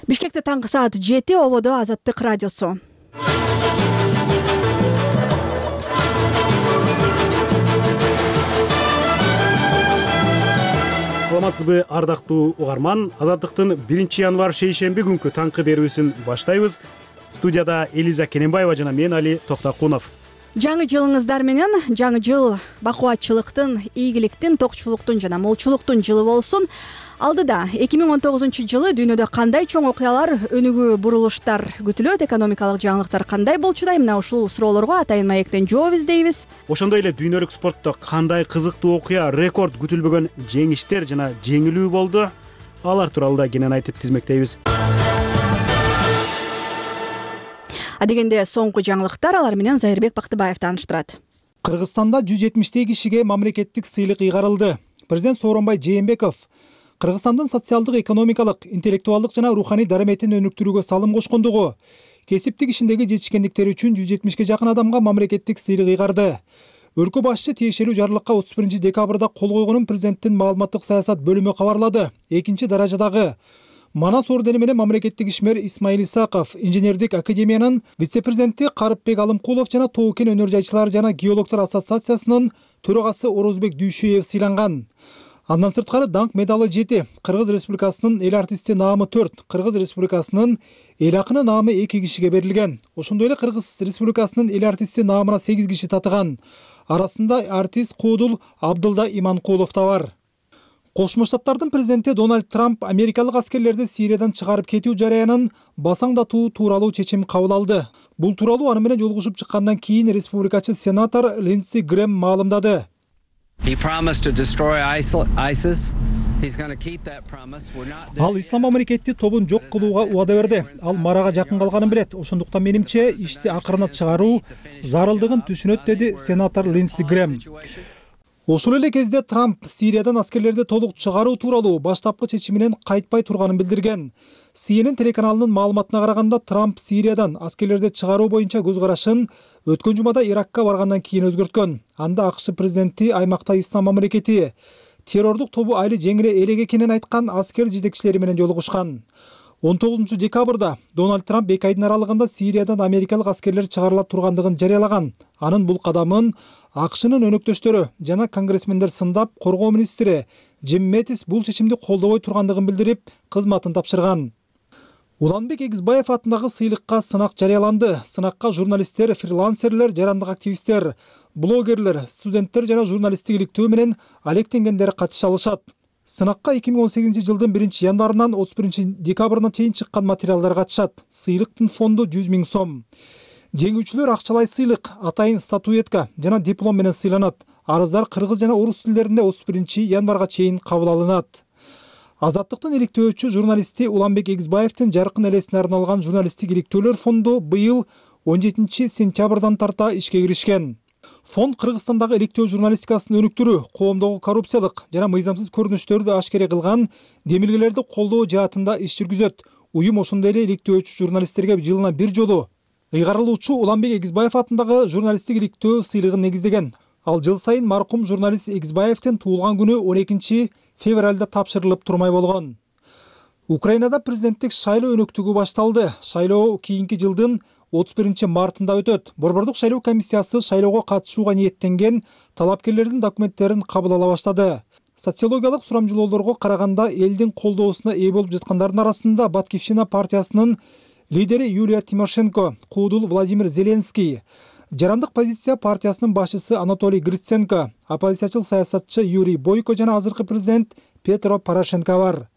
Бишкекте таңкы саат 7, ободо Азаттык радиосу. Саламатсызбы, ардактуу угарман. Азаттыктын 1-январ шейшемби күнкү таңкы берүүсүн баштайбыз. Студияда Элиза Кененбаева жана мен Али Токтакунов. Жаңы жылыңыздар менен. Жаңы жыл бакубатчылыктын, ийгиликтин, токчулуктун жана молчулуктун жылы болсун. Алдыда 2019 жылы дүйнөдө кандай чоң окуялар, өнүгүү бурулуштар күтүлөт, экономикалык жаңылыктар кандай болчудай? Мына ушул суроолорго атайын маектен жооп издейбиз. Ошондой эле дүйнөлүк спортто кандай кызыктуу окуя, рекорд күтүлбөгөн жеңиштер жана жеңилүү болду? Алар тууралуу да кенен айтып тизмектейбиз. Адегенде соңку жаңылыктар, алар менен Зайырбек Бактыбаев тааныштырат. Кыргызстанда 170 кишиге мамлекеттик сыйлык ыйгарылды. Президент Сооронбай Жээнбеков Кыргызстандын социалдык, экономикалык, интеллектуалдык жана руханий дараметин өнүктүрүүгө салым кошкондугу, кесиптик ишиндеги жетишкендиктери үчүн 170ге жакын адамга мамлекеттик сыйлык ыйгарды. Өлкө башчы тиешелүү жарлыкка 31 декабрда кол койгонун президенттин маалыматтык саясат бөлүмү кабарлады. Экинчи даражадагы Манас ордени менен мамлекеттик ишмер Исмаил Исаков, инженердик академиянын вице-президенти Карыпбек Алымкулов жана Тоо-Кен өнөр жайчылар жана геологтор ассоциациясынын төрагасы Орозбек Дүйшөев сыйланган. Андан сырткары даңк медалы 7, Кыргыз Республикасынын эл артисти наамы 4, Кыргыз Республикасынын эл акыны наамы 2 кишиге берилген. Ошондой эле Кыргыз Республикасынын эл артисти наамына 8 киши татыган. Арасында артист Куудул Абдылда Иманкулов да бар. Кошмо Штаттардын президенти Дональд Трамп америкалык аскерлерди Сириядан чыгарып кетүү жараянын басаңдатуу тууралуу чечим кабыл алды. Бул тууралуу аны менен жолугушуп чыккандан кийин республикачы сенатор Линдси Грэм маалымдады. Ал ислам мамлекетти тобун жок кылууга убада берди. Ал марага жакын калганын билет. Ошондуктан менимче ишти акырына чыгаруу зарылдыгын түшүнөт, деди сенатор Линдси Грэм. Ошол эле кезде Трамп Сириядан аскерлерди толук чыгаруу тууралуу баштапкы чечиминен кайтпай турганын билдирген. CNN телеканалынын маалыматына караганда, Трамп Сириядан аскерлерди чыгаруу боюнча көз карашын өткөн жумада Иракка баргандан кийин өзгөрткөн. Анда АКШ президенти аймакта ислам мамлекети террордук тобу айры жеңиле элек экенин айткан аскер жетекчилери менен жолугушкан. 19 декабрда Дональд Трамп 2 айдын аралыгында Сириядан америкалык аскерлер чыгарыла тургандыгын жарыялаган. Анын бул кадамын АКШнын өнөктөштөрү жана конгрессмендер сындап, коргоо министри Джим Мэтис бул чечимди колдобой тургандыгын билдирип, кызматын тапшырган. Уланбек Эгизбаев атындагы сыйлыкка сынак жарыяланды. Сынакка журналисттер, фрилансерлер, жарандык активисттер, блогерлер, студенттер жана журналисттик иликтөө менен алектенгендер катыша алышат. Сынакка 2018 жылдын 1-январынан 31 декабрына чейин чыккан материалдар катышат. Сыйлыктын фонду 100 000 сом. Жеңүүчүлөр акчалай сыйлык, атайын статуэтка жана диплом менен сыйланат. Арыздар кыргыз жана орус тилдеринде 31 январга чейин кабыл алынат. Азаттыктын иликтөөчү журналисти Уланбек Эгизбаевдин жаркын элесине арналган журналисттик иликтөөлөр фонду быйыл 17 сентябрдан тарта ишке киришкен. Фонд Кыргызстандагы иликтөө журналистикасын өнүктүрүү, коомдогу коррупциялык жана мыйзамсыз көрүнүштөрдү ашкере кылган демилгелерди колдоо жаатында иш жүргүзөт. Уюм ошондой эле иликтөөчү журналисттерге жылына бир жолу ыйгарылуучу Уланбек Эгизбаев атындагы журналисттик иликтөө сыйлыгын негиздеген. Ал жыл сайын маркум журналист Эгизбаевдин туулган күнү 12 февралда тапшырылып турмай болгон. Украинада президенттик шайлоо өнөктүгү башталды. Шайлоо кийинки жылдын 31 мартында өтөт. Борбордук шайлоо комиссиясы шайлоого катышууга ниеттенген талапкерлердин документтерин кабыл ала баштады. Социологиялык сурамжылоолорго караганда элдин колдоосуна ээ болуп жаткандардын арасында Батькивщина партиясынын лидери Юлия Тимошенко, Куудул Владимир Зеленский, жарандык позиция партиясынын башчысы Анатолий Гриценко, оппозициячыл саясатчы Юрий Бойко жана азыркы президент Петро Порошенко бар.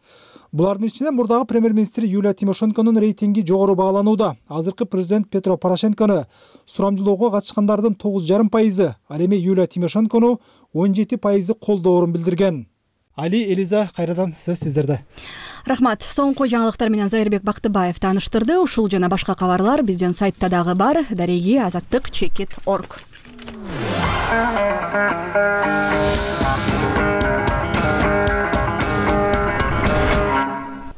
Булардын ичинен мурдагы премьер-министр Юлия Тимошенконун рейтинги жогору бааланууда. Азыркы президент Петро Порошенкону сурамжылоого катышкандардын 9,5%, ал эми Юлия Тимошенкону 17% колдоорун билдирген. Али, Элиза, кайрадан сөз сиздерде. Рахмат. Соңку жаңылыктар менен Зайырбек Бактыбаев тааныштырды. Ушул жана башка кабарлар биздин сайтта дагы бар. Дареги azаттык.org.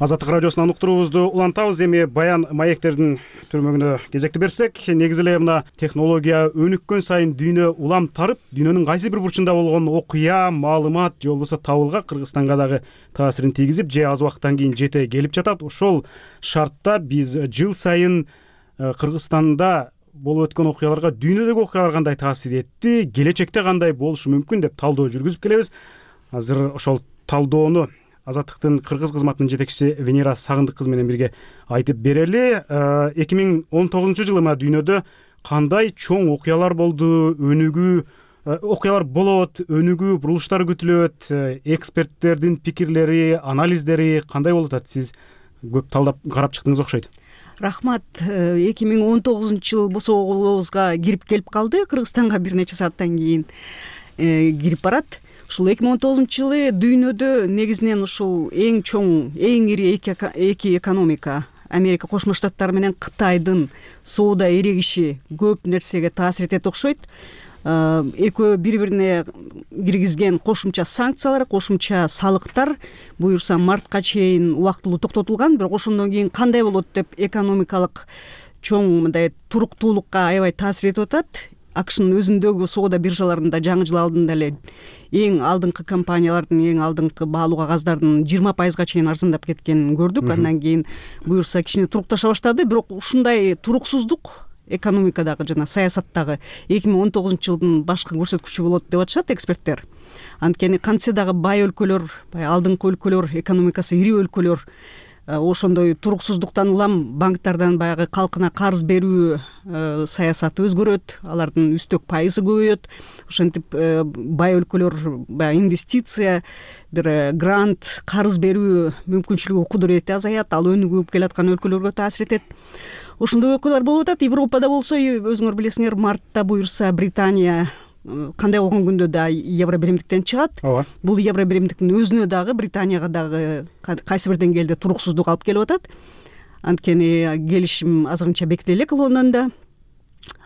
Азаттык радиосунан уктуруубузду улантабыз. Эми баян маектердин түрмөгүнө кезекти берсек, негизи эле мына технология өнүккөн сайын дүйнө улам тарып, дүйнөнүн кайсы бир бурчунда болгон окуя, маалымат же болбосо табылга Кыргызстанга дагы таасирин тийгизип, же аз убакыттан кийин жете келип жатат. Ошол шартта биз жыл сайын Кыргызстанда болуп өткөн окуяларга дүйнөдөгү окуялар кандай таасир этти, келечекте кандай болушу мүмкүн деп талдоо жүргүзүп келебиз. Азыр ошол талдоону Азаттыктын кыргыз кызматынын жетекчиси Венера Сагындык кызы менен бирге айтып берели. 2019 жылы дүйнөдө кандай чоң окуялар болду, окуялар болот, өнүгүү бурулуштар күтүлөт, эксперттердин пикирлери, анализдери кандай болуп атат? Сиз көп талдап карап чыктыңыз окшойт. Рахмат. 2019 жыл босообузга кирип келип калды. Кыргызстанга бир нече сааттан кийин кирип барат. Ушул 2019 жылы дүйнөдө негизинен ушул эң чоң, эң ири эки экономика Америка Кошмо Штаттары менен Кытайдын соода эрегиши көп нерсеге таасир этет окшойт. Экөө бири-бирине киргизген кошумча санкциялар, кошумча салыктар буюрса мартка чейин убактылуу токтотулган, бирок ошондон кийин кандай болот деп экономикалык чоң мындай туруктуулукка аябай таасир этип атат. АКШнын өзүндөгү соода биржаларында жаңы жыл алдында эле эң алдыңкы компаниялардын, эң алдыңкы баалуу кагаздардын 20% чейин арзандап кеткенин көрдүк. Андан кийин буюрса кичине турукташа баштады, бирок ушундай туруксуздук экономикадагы жана саясаттагы 2019 жылдын башкы көрсөткүчү болот деп атышат эксперттер. Анткени кантсе дагы бай өлкөлөр, алдыңкы өлкөлөр, экономикасы ири өлкөлөр ошондой туруксуздуктан улам банктардан баягы калкына карыз берүү саясаты өзгөрөт, алардын үстөк пайызы көбөйөт. Ошентип бай өлкөлөр баягы инвестиция, бир грант, карыз берүү мүмкүнчүлүгү, кудурети азаят, ал өнүгүп келаткан өлкөлөргө таасир этет. Ошондой окуялар болуп атат. Европада болсо, өзүңөр билесиңер, мартта буюрса Британия кандай болгон күндө да евро биримдиктен чыгат. Бул евро биримдиктин өзүнө дагы, Британияга дагы кайсы бир деңгээлде туруксуздук алып келип атат. Анткени келишим азырынча бекитиле элек Лондондо.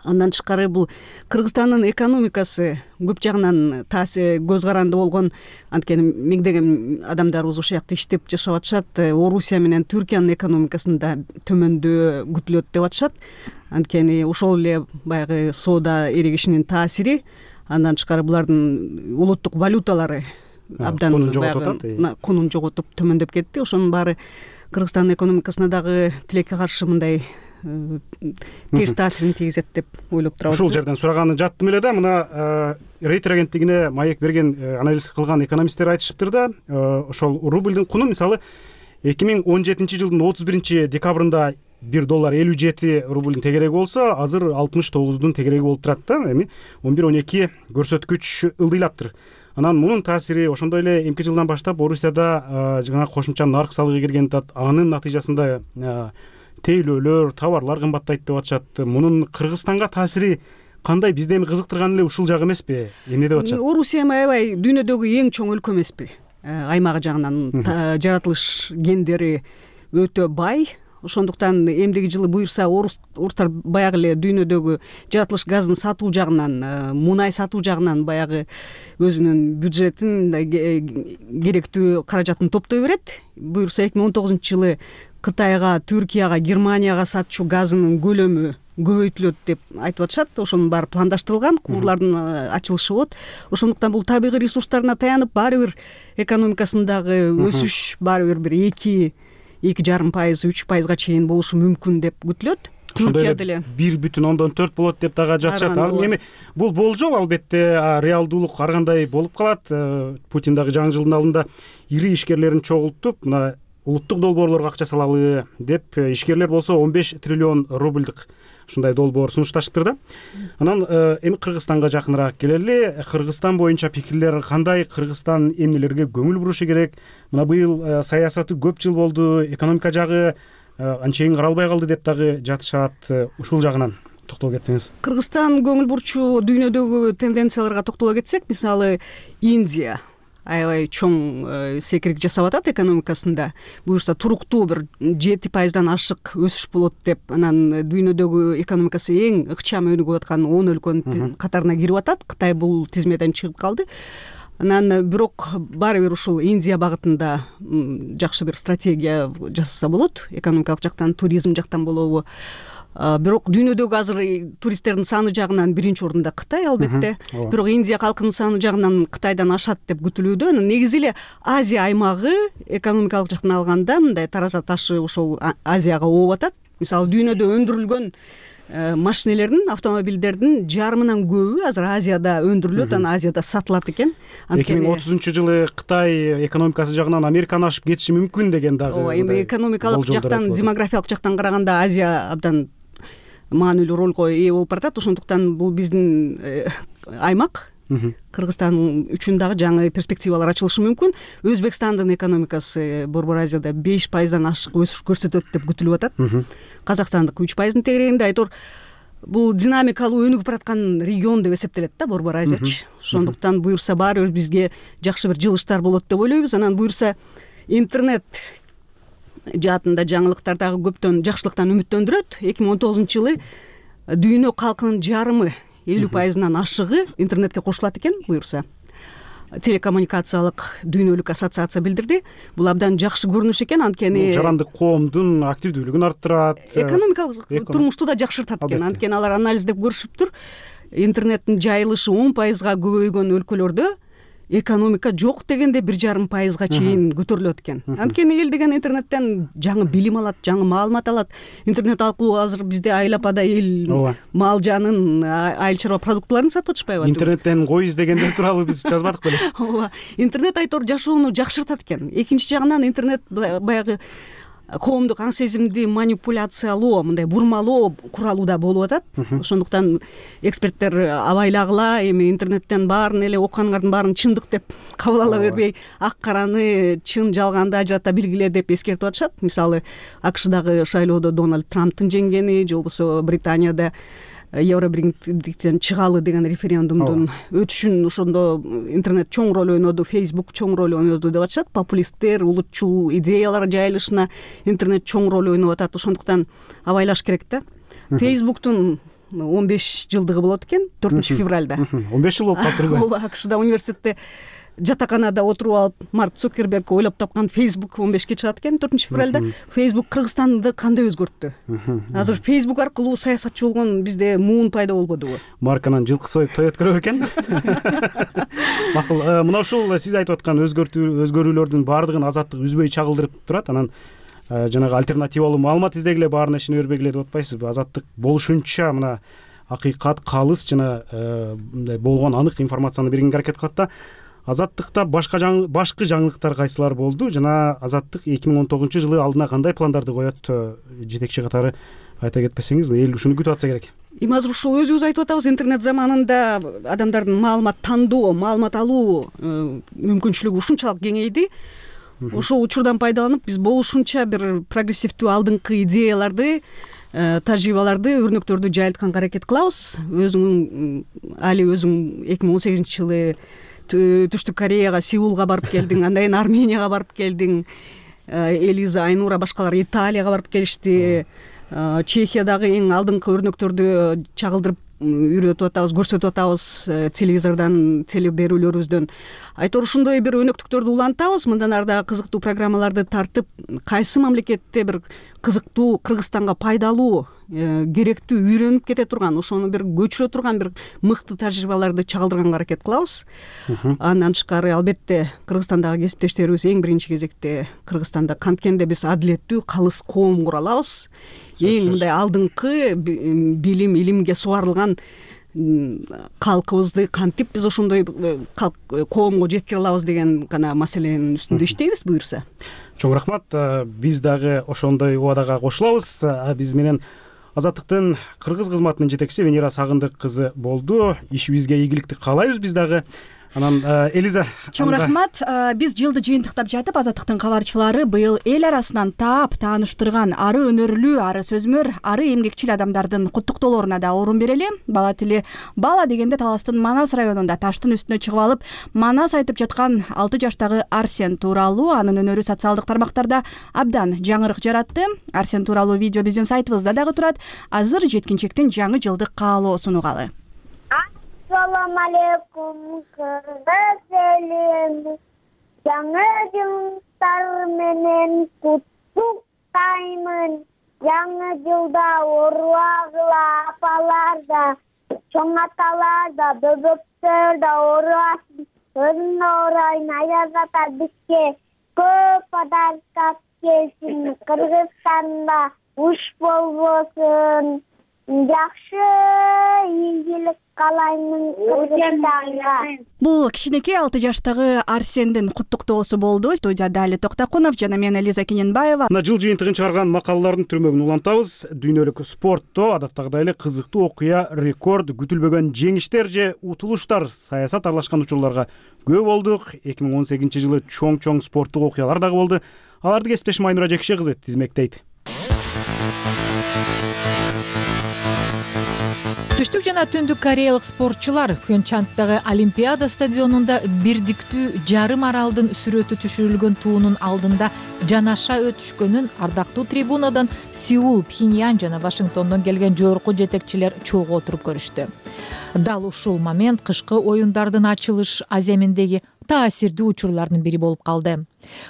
Андан тышкары бул Кыргызстандын экономикасы көп жагынан көз каранды болгон. Анткени миңдеген адамдарыбыз ошол жакта иштеп жашап атышат. Орусия менен Түркиянын экономикасында төмөндөө күтүлөт деп атышат. Анткени ошол эле баягы соода эрегишинин таасири. Андан тышкары булардын улуттук валюталары абдан кунун жоготуп төмөндөп кетти. Ошонун баары Кыргызстандын экономикасына дагы тилекке каршы мындай терс таасирин тийгизет деп ойлоп турабыз. Ушул жерден сураганы жаттым эле да, мына Рейтер агенттигине маек берген, анализ кылган экономисттер айтышыптыр да, ошол рубльдин куну мисалы 2017 жылдын 31 декабрында $1 57 рубльдин тегереги болсо, азыр 69-дун тегереги болуп турат да. Эми 11-12 көрсөткүч ылдыйлаптыр. Анан мунун таасири ошондой эле эмки жылдан баштап Орусияда жана кошумча нарк салыгы кирген, анын натыйжасында тейлөөлөр, товарлар кымбаттайт деп атышат. Мунун Кыргызстанга таасири кандай? Бизди эми кызыктырган эле ушул жагы эмеспи? Эмне деп атышат? Орусия аябай дүйнөдөгү эң чоң өлкө эмеспи? Аймагы жагынан жаратылыш гендери өтө бай. Ошондуктан эмдиги жылы буюрса орустар баягы эле дүйнөдөгү жаратылыш газын сатуу жагынан, мунай сатуу жагынан баягы өзүнүн бюджетин, керектүү каражатын топтой берет. Буюрса 2019 жылы Кытайга, Түркияга, Германияга сатчу газынын көлөмү көбөйтүлөт деп айтып атышат. Ошонун баары пландаштырылган, куурлардын ачылышы болот. Ошондуктан бул табигый ресурстарына таянып, баары бир экономикасындагы өсүш баары бир 2,5%, 3% чейин болушу мүмкүн деп күтүлөт. Түркияда эле 1,4 болот деп дагы жатышат. Эми бул болжол, албетте реалдуулук ар кандай болуп калат. Путин дагы жаңы жылдын алдында ири ишкерлерин чогултуп, мына улуттук долбоорлорго акча салалы деп, ишкерлер болсо 15 триллион рубльдык ушундай долбоор сунушташыптыр да. Анан эми Кыргызстанга жакыныраак келели. Кыргызстан боюнча пикирлер кандай? Кыргызстан эмнелерге көңүл бурушу керек? Мына быйыл саясаты көп жыл болду, экономика жагы анчейин каралбай калды деп дагы жатышат. Ушул жагынан токтолуп кетсеңиз. Кыргызстан көңүл бурчу дүйнөдөгү тенденцияларга токтоло кетсек, мисалы Индия аябай чоң секирик жасап атат экономикасында. Буюрса туруктуу бир 7%дан ашык өсүш болот деп, анан дүйнөдөгү экономикасы эң ыкчам өнүгүп аткан 10 өлкөнүн катарына кирип атат. Кытай бул тизмеден чыгып калды. Анан бирок баары бир ушул Индия багытында жакшы бир стратегия жасаса болот, экономикалык жактан, туризм жактан болобу. Бирок дүйнөдөгү азыр туристтердин саны жагынан биринчи орунда Кытай албетте. Бирок Индия калкынын саны жагынан Кытайдан ашат деп күтүлүүдө. Негизи эле Азия аймагы экономикалык жактан алганда мындай тараза ташы ошол Азияга ооп атат. Мисалы дүйнөдө өндүрүлгөн машинелердин, автомобилдердин жарымынан көбү азыр Азияда өндүрүлөт, анан Азияда сатылат экен. 2030-жылы Кытай экономикасы жагынан Американы ашып кетиши мүмкүн деген дагы. Ооба, эми экономикалык жактан, демографиялык жактан караганда Азия абдан маанилүү ролго ээ болуп баратат. Ошондуктан бул биздин аймак Кыргызстан үчүн дагы жаңы перспективалар ачылышы мүмкүн. Өзбекстандын экономикасы Борбор Азияда 5%дан ашык өсүш көрсөтөт деп күтүлүп атат. Казакстандыкы 3%дын тегерегинде. Айтор бул динамикалуу өнүгүп бараткан регион деп эсептелет да Борбор Азиячы. Ошондуктан буюрса баары бир бизге жакшы бир жылыштар болот деп ойлойбуз. Анан буюрса интернет жаатында жаңылыктар дагы көптөн жакшылыктан үмүттөндүрөт. 2019-жылы дүйнө калкынын жарымы 50%-нан ашыгы интернетке кошулат экен буюрса. Телекоммуникациялык дүйнөлүк ассоциация билдирди. Бул абдан жакшы көрүнүш экен, анткени жарандык коомдун активдүүлүгүн арттырат, экономикалык турмушту да жакшыртат экен. Анткени алар анализдеп көрүшүптүр. Интернеттин жайылышы 10%га көбөйгөн өлкөлөрдө экономика жок дегенде 1,5%га чейин көтөрүлөт экен. Анткени эл деген интернеттен жаңы билим алат, жаңы маалымат алат. Интернет аркылуу азыр бизде айылапада эл мал жанын, айыл чарба продуктыларын сатып атышпайбы? Интернеттен кой издегендер тууралуу биз жазбадык беле? Ооба. Интернет айтор жашоону жакшыртат экен. Экинчи жагынан интернет баягы коомдук аң сезимди манипуляциялоо, мындай бурмалоо куралы да болуп атат. Ошондуктан эксперттер абайлагыла, эми интернеттен баарын эле окуганыңардын баарын чындык деп кабыл ала бербей, ак караны чын жалганды ажырата билгиле деп эскертип атышат. Мисалы, АКШдагы шайлоодо Дональд Трамптын жеңгени, же болбосо Британияда Евробирликтен чыгалы деген референдумдун өтүшүн ошондо интернет чоң роль ойноду, Facebook чоң роль ойноду деп атышат. Популисттер, улутчул идеялар жайылышына интернет чоң роль ойноп атат. Ошондуктан абайлаш керек да. Facebooктун 15 жылдыгы болот экен 4-февралда. 15 жыл болуп калыптыр. Ооба, АКШда университетте жатаканада отуруп алып Марк Цукерберг ойлоп тапкан Facebook 15-ке чыгат экен 4-февралда. Facebook Кыргызстанды кандай өзгөрттү? Азыр Facebook аркылуу саясатчы болгон бизде муун пайда болбодубу? Марканан жылкы союп той өткөрөбү экен? Макул, мына ушул сиз айтып аткан өзгөрүүлөрдүн баардыгын Азаттык үзбөй чагылдырып турат. Анан жанагы альтернативалуу маалымат издегиле, баарына ишине бербегиле деп атпайсызбы? Азаттык болушунча мына акыйкат, калыс жана мындай болгон анык информацияны бергенге аракет кылат да. Азаттыкта башкы жаңылыктар кайсылар болду жана Азаттык 2019-жылы алдына кандай пландарды коет? Жетекчи катары айта кетпесеңиз, эл ушуну күтүп атса керек. Эми азыр ушул өзүбүз айтып атабыз, интернет заманында адамдардын маалымат тандоо, маалымат алуу мүмкүнчүлүгү ушунчалык кеңейди. Ошол учурдан пайдаланып биз болушунча бир прогрессивдүү алдыңкы идеяларды, тажрыйбаларды, өрнөктөрдү жайылтканга аракет кылабыз. Али өзүң 2018-жылы Түштүк Кореяга, Сеулга барып келдиң, андан кийин Арменияга барып келдиң. Элиза, Айнура, башкалар Италияга барып келишти. Чехиядагы эң алдыңкы өрнөктөрдү чагылдырып үйрөтүп атабыз, көрсөтүп атабыз телевизордон, телеберүүлөрүбүздөн. Айтор ушундай бир өнөктүктөрдү улантабыз, мындан ары дагы кызыктуу программаларды тартып, кайсы мамлекетте бир кызыктуу, Кыргызстанга пайдалуу, керектүү, үйрөнүп кете турган, ошону бир көчүрө турган бир мыкты тажрыйбаларды чагылдырганга аракет кылабыз. Андан тышкары албетте Кыргызстандагы кесиптештерибиз эң биринчи кезекте Кыргызстанда канткенде биз адилеттүү, калыс коом кура алабыз. Эң мындай алдыңкы билим, илимге сугарылган калкыбызды кантип биз ошондой коомго жеткире алабыз деген гана маселенин үстүндө иштейбиз буюрса. Чоң рахмат. Биз дагы ошондой убадага кошулабыз. Биз менен Азаттыктын кыргыз кызматынын жетекчиси Венера Сагындык кызы болду. Ишибизге ийгиликти каалайбыз биз дагы. Анан Элиза, чоң рахмат. Биз жылды жыйынтыктап жатып, Азаттыктын кабарчылары быйыл эл арасынан таап тааныштырган ары өнөрлүү, ары сөзмөр, ары эмгекчил адамдардын куттуктоолоруна да орун берели. Бала тили бала дегенде Таластын Манас районунда таштын үстүнө чыгып алып, Манас айтып жаткан 6 жаштагы Арсен тууралуу анын өнөрү социалдык тармактарда абдан жаңырык жаратты. Арсен тууралуу видео биздин сайтыбызда дагы турат. Азыр жеткинчектин жаңы жылдык каалоосун угалы. Ассалому алейкум, кыргыз элим. Жаңы жылдар менен куттуктаймын. Жаңы жылда оруагыла апалар да, чоң аталар да, бөбөктөр да оруасын. Өзүнө орайын аяз ата бизге көп подарка келсин. Кыргызстанда уш болбосун. Жакшы ийгилик каалаймын Кыргызстанга. Бул кичинекей 6 жаштагы Арсендин куттуктоосу болду. Студияда Али Токтакунов жана мен Элиза Кененбаева. Мына жыл жыйынтыгын чыгарган макалалардын түрмөгүн улантабыз. Дүйнөлүк спортто адаттагыдай эле кызыктуу окуя, рекорд, күтүлбөгөн жеңиштер же утулуштар, саясат аралашкан учурларга күбө болдук. 2018-жылы чоң спорттук окуялар дагы болду. Аларды кесиптешим Айнура Жекше кызы тизмектейт. Түштүк жана түндүк кореялык спортчулар Пхенчхандагы Олимпиада стадионунда бирдиктүү жарым аралдын сүрөтү түшүрүлгөн туунун алдында жанаша өтүшкөнүн ардактуу трибунадан Сеул, Пхеньян жана Вашингтондон келген жогорку жетекчилер чогуу отуруп көрүштү. Дал ушул момент кышкы оюндардын ачылыш аземиндеги таасирдүү учурлардын бири болуп калды.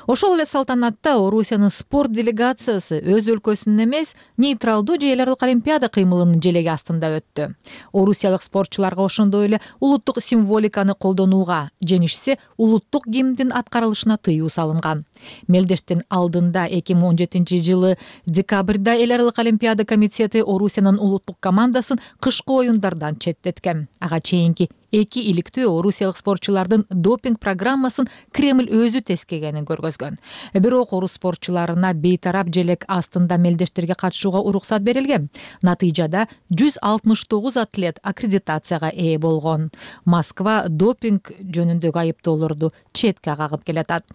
Ошол эле салтанатта Орусиянын спорт делегациясы өз өлкөсүнүн эмес, нейтралдуу же эл аралык олимпиада кыймылынын желеги астында өттү. Орусиялык спортчуларга ошондой эле улуттук символиканы колдонууга, жеңишсе улуттук гимндин аткарылышына тыюу салынган. Мелдештин алдында 2017-жылы декабрда эл аралык олимпиада комитети Орусиянын улуттук командасын кышкы оюндардан четтеткен. Ага чейинки 2 иликтүү орусиялык спортчулардын допинг программасын Кремль өзү тескегенин көргөзгөн. Бирок орус спортчуларына бейтарап желек астында мелдештерге катышууга уруксат берилген. Натыйжада 169 атлет аккредитацияга ээ болгон. Москва допинг жөнүндөгү айыптоолорду четке кагып келатат.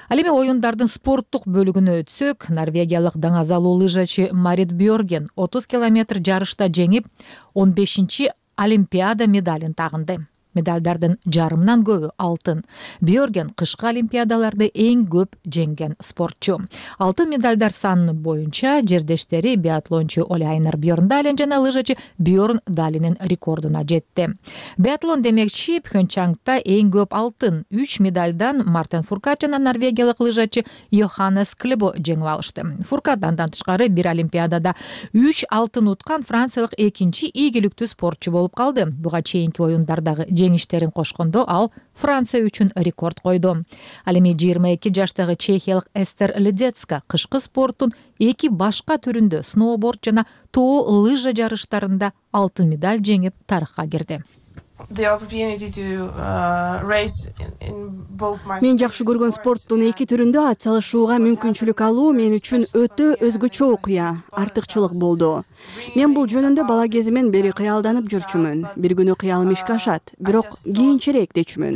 Ал эми оюндардын спорттук бөлүгүнө өтсөк, норвегиялык даңазалуу лыжачы Марит Бьорген 30 километр жарышта жеңип, 15-чи Олимпиада медалин тагынды. Медалдардын жарымынан көбү алтын. Бьорген кышкы олимпиадаларды эң көп жеңген спортчу. Алтын медалдар саны боюнча жердештери биатлончу Оля Айнар Бьорндален жана лыжачы Бьорн Далинин рекордуна жетти. Биатлон демекчи Пхенчхандта эң көп алтын 3 медалдан Мартен Фуркат жана норвегиялык лыжачы Йоханнес Клебо жеңип алышты. Фуркат андан тышкары бир олимпиадада 3 алтын уткан франциялык экинчи ийгиликтүү спортчу болуп калды. Буга чейинки оюндардагы жеңиштерин кошкондо ал Франция үчүн рекорд койду. Ал эми 22 жаштагы чехиялык Эстер Ледецка кышкы спорттун 2 башка түрүндө сноуборд жана тоо лыжа жарыштарында алтын медаль жеңип тарыхка кирди. Мен жакшы көргөн спорттун 2 түрүндө ат салышууга мүмкүнчүлүк алуу мен үчүн өтө өзгөчө окуя, артыкчылык болду. Мен бул жөнүндө бала кезимден бери кыялданып жүрчүмүн. Бир күнү кыялым ишке ашат, бирок кийинчерээк дечүмүн.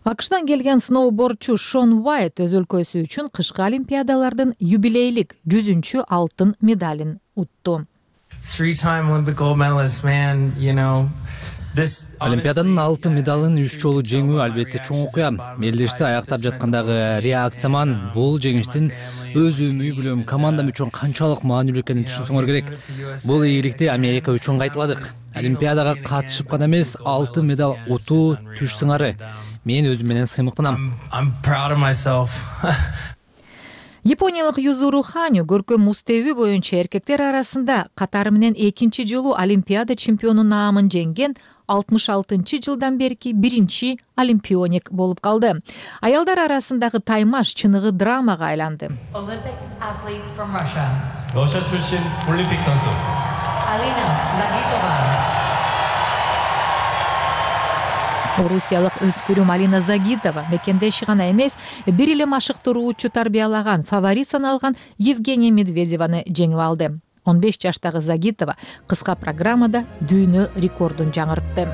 АКШдан келген сноубордчу Шон Уайт өз өлкөсү үчүн кышкы олимпиадалардын юбилейлик 100-чү алтын медалин утту. Олимпиаданын алтын медалын 3 жолу жеңүү албетте чоң окуя. Мелдешти аяктап жаткандагы реакцияман бул жеңиштин өзүм үй бүлөм командам үчүн канчалык маанилүү экенин түшүнсөңөр керек. Бул ийгиликти Америка үчүн кайталадык. Олимпиадага катышып гана эмес, алтын медаль утуу түш сыңары. Мен өзүм менен сыймыктанам. Япониялык Юзуру Ханю көркөм муз тебүү боюнча эркектер арасында катары менен 2-чи жолу Олимпиада чемпиону наамын жеңген 66-жылдан берки биринчи олимпионик болуп калды. Аялдар арасындагы таймаш чыныгы драмага айланды. 러시아 출신 올림픽 선수 Alina Zagitova. Орусиялык өспүрүм Алина Загитова мекендеши гана эмес, бир эле машыктыруучу тарбиялаган, фаворит саналган Евгения Медведеваны жеңип алды. 15 жаштагы Загитова кыска программада дүйнө рекордун жаңыртты.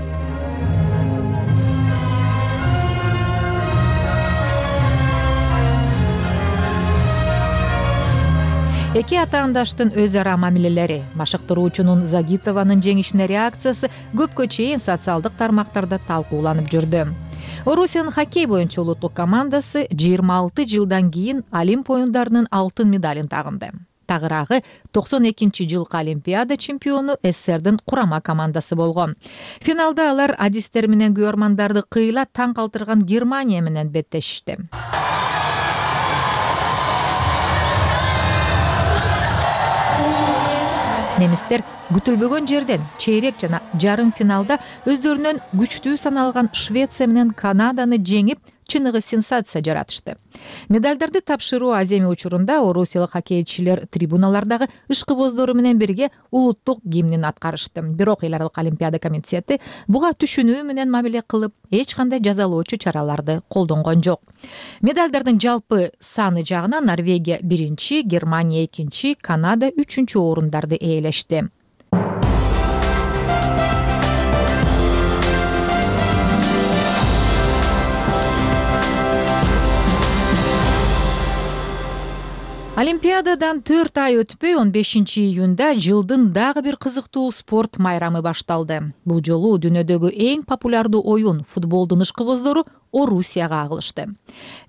Эки атаандаштын өз ара мамилелери, машыктыруучунун Загитованын жеңишине реакциясы көпкө чейин социалдык тармактарда талкууланып жүрдү. Орусиянын хоккей боюнча улуттук командасы 26 жылдан кийин Олимп оюндарынын алтын медалин тагынды. Тагыраагы 92-жылкы Олимпиада чемпиону СССРдин курама командасы болгон. Финалда алар адистер менен көрөрмандарды кыйла таң калтырган Германия менен беттешишти. Немистер күтүлбөгөн жерден чейрек жана жарым финалда өздөрүнөн күчтүү саналган Швеция менен Канаданы жеңип, чыныгы сенсация жаратышты. Медалдарды тапшыруу аземи учурунда орусиялык хоккейчилер трибуналардагы ышкыбоздору менен бирге улуттук гимнин аткарышты. Бирок эл аралык Олимпиада комитети буга түшүнүү менен мамиле кылып, эч кандай жазалоочу чараларды колдонгон жок. Медалдардын жалпы саны жагынан Норвегия 1-чи, Германия 2-чи, Канада 3-чү орундарды ээлешти. Олимпиададан 4 ай өтпөй 15-июнда жылдын дагы бир кызыктуу спорт майрамы башталды. Бул жолу дүйнөдөгү эң популярдуу оюн футболдун ышкыбоздору Орусияга агылышты.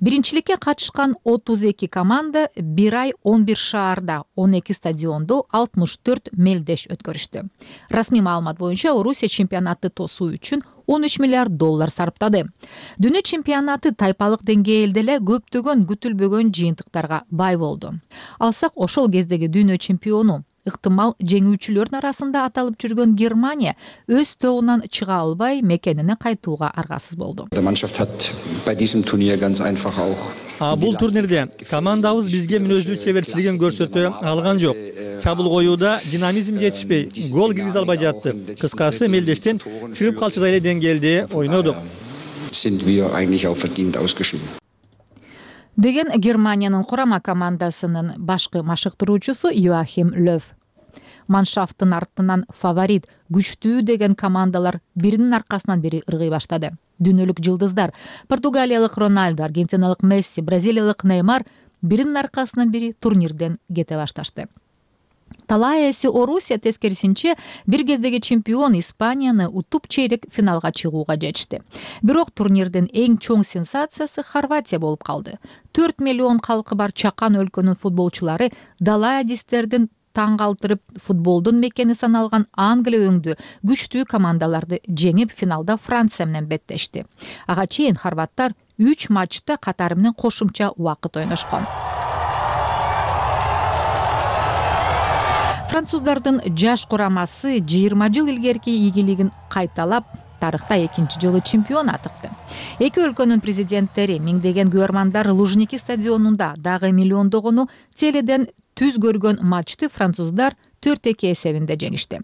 Биринчиликке катышкан 32 команда 1 ай 11 шаарда 12 стадиондо 64 мелдеш өткөрүштү. Расмий маалымат боюнча Орусия чемпионатты тосуу үчүн $13 миллиард сарптады. Дүйнө чемпионаты тайпалык деңгээлде эле көптөгөн күтүлбөгөн жыйынтыктарга бай болду. Алсак ошол кездеги дүйнө чемпиону, ыктымал жеңүүчүлөрдүн арасында аталып жүргөн Германия өз тобунан чыга албай мекенине кайтууга аргасыз болду. Бул турнирде командабыз бизге мүнөздүү чеберчилигин көрсөтө алган жок. Чабуул коюуда динамизм жетишпей, гол киргизе албай жатты. Кыскасы мелдештен чыгып калчудай эле деңгээлде ойнодук. Деген Германиянын курама командасынын башкы машыктыруучусу Йоахим Löw. Маншафтын артынан фаворит, күчтүү деген командалар биринин аркасынан бири ыргый баштады. Дүйнөлүк жылдыздар Португалиялык Роналдо, аргентиналык Месси, бразилиялык Неймар биринин аркасынан бири турнирден кете башташты. Талай эси Орусия тескерисинче бир кездеги чемпион Испанияны утуп чейрек финалга чыгууга жетишти. Бирок турнирдин эң чоң сенсациясы Хорватия болуп калды. 4 миллион калкы бар чакан өлкөнүн футболчулары далай адистердин таң калтырып футболдун мекени саналган Англия өңдүү күчтүү командаларды жеңип финалда Франция менен беттешти. Ага чейин хорваттар 3 матчта катары менен кошумча убакыт ойношкон. Француздардын жаш курамасы 20 жыл илгерки ийгилигин кайталап, тарыхта 2-чи жолу чемпион атыкты. Эки өлкөнүн президенттери миңдеген көрөрмандар Лужники стадионунда дагы миллиондогону теледен түз көргөн матчты француздар 4-2 эсебинде жеңишти.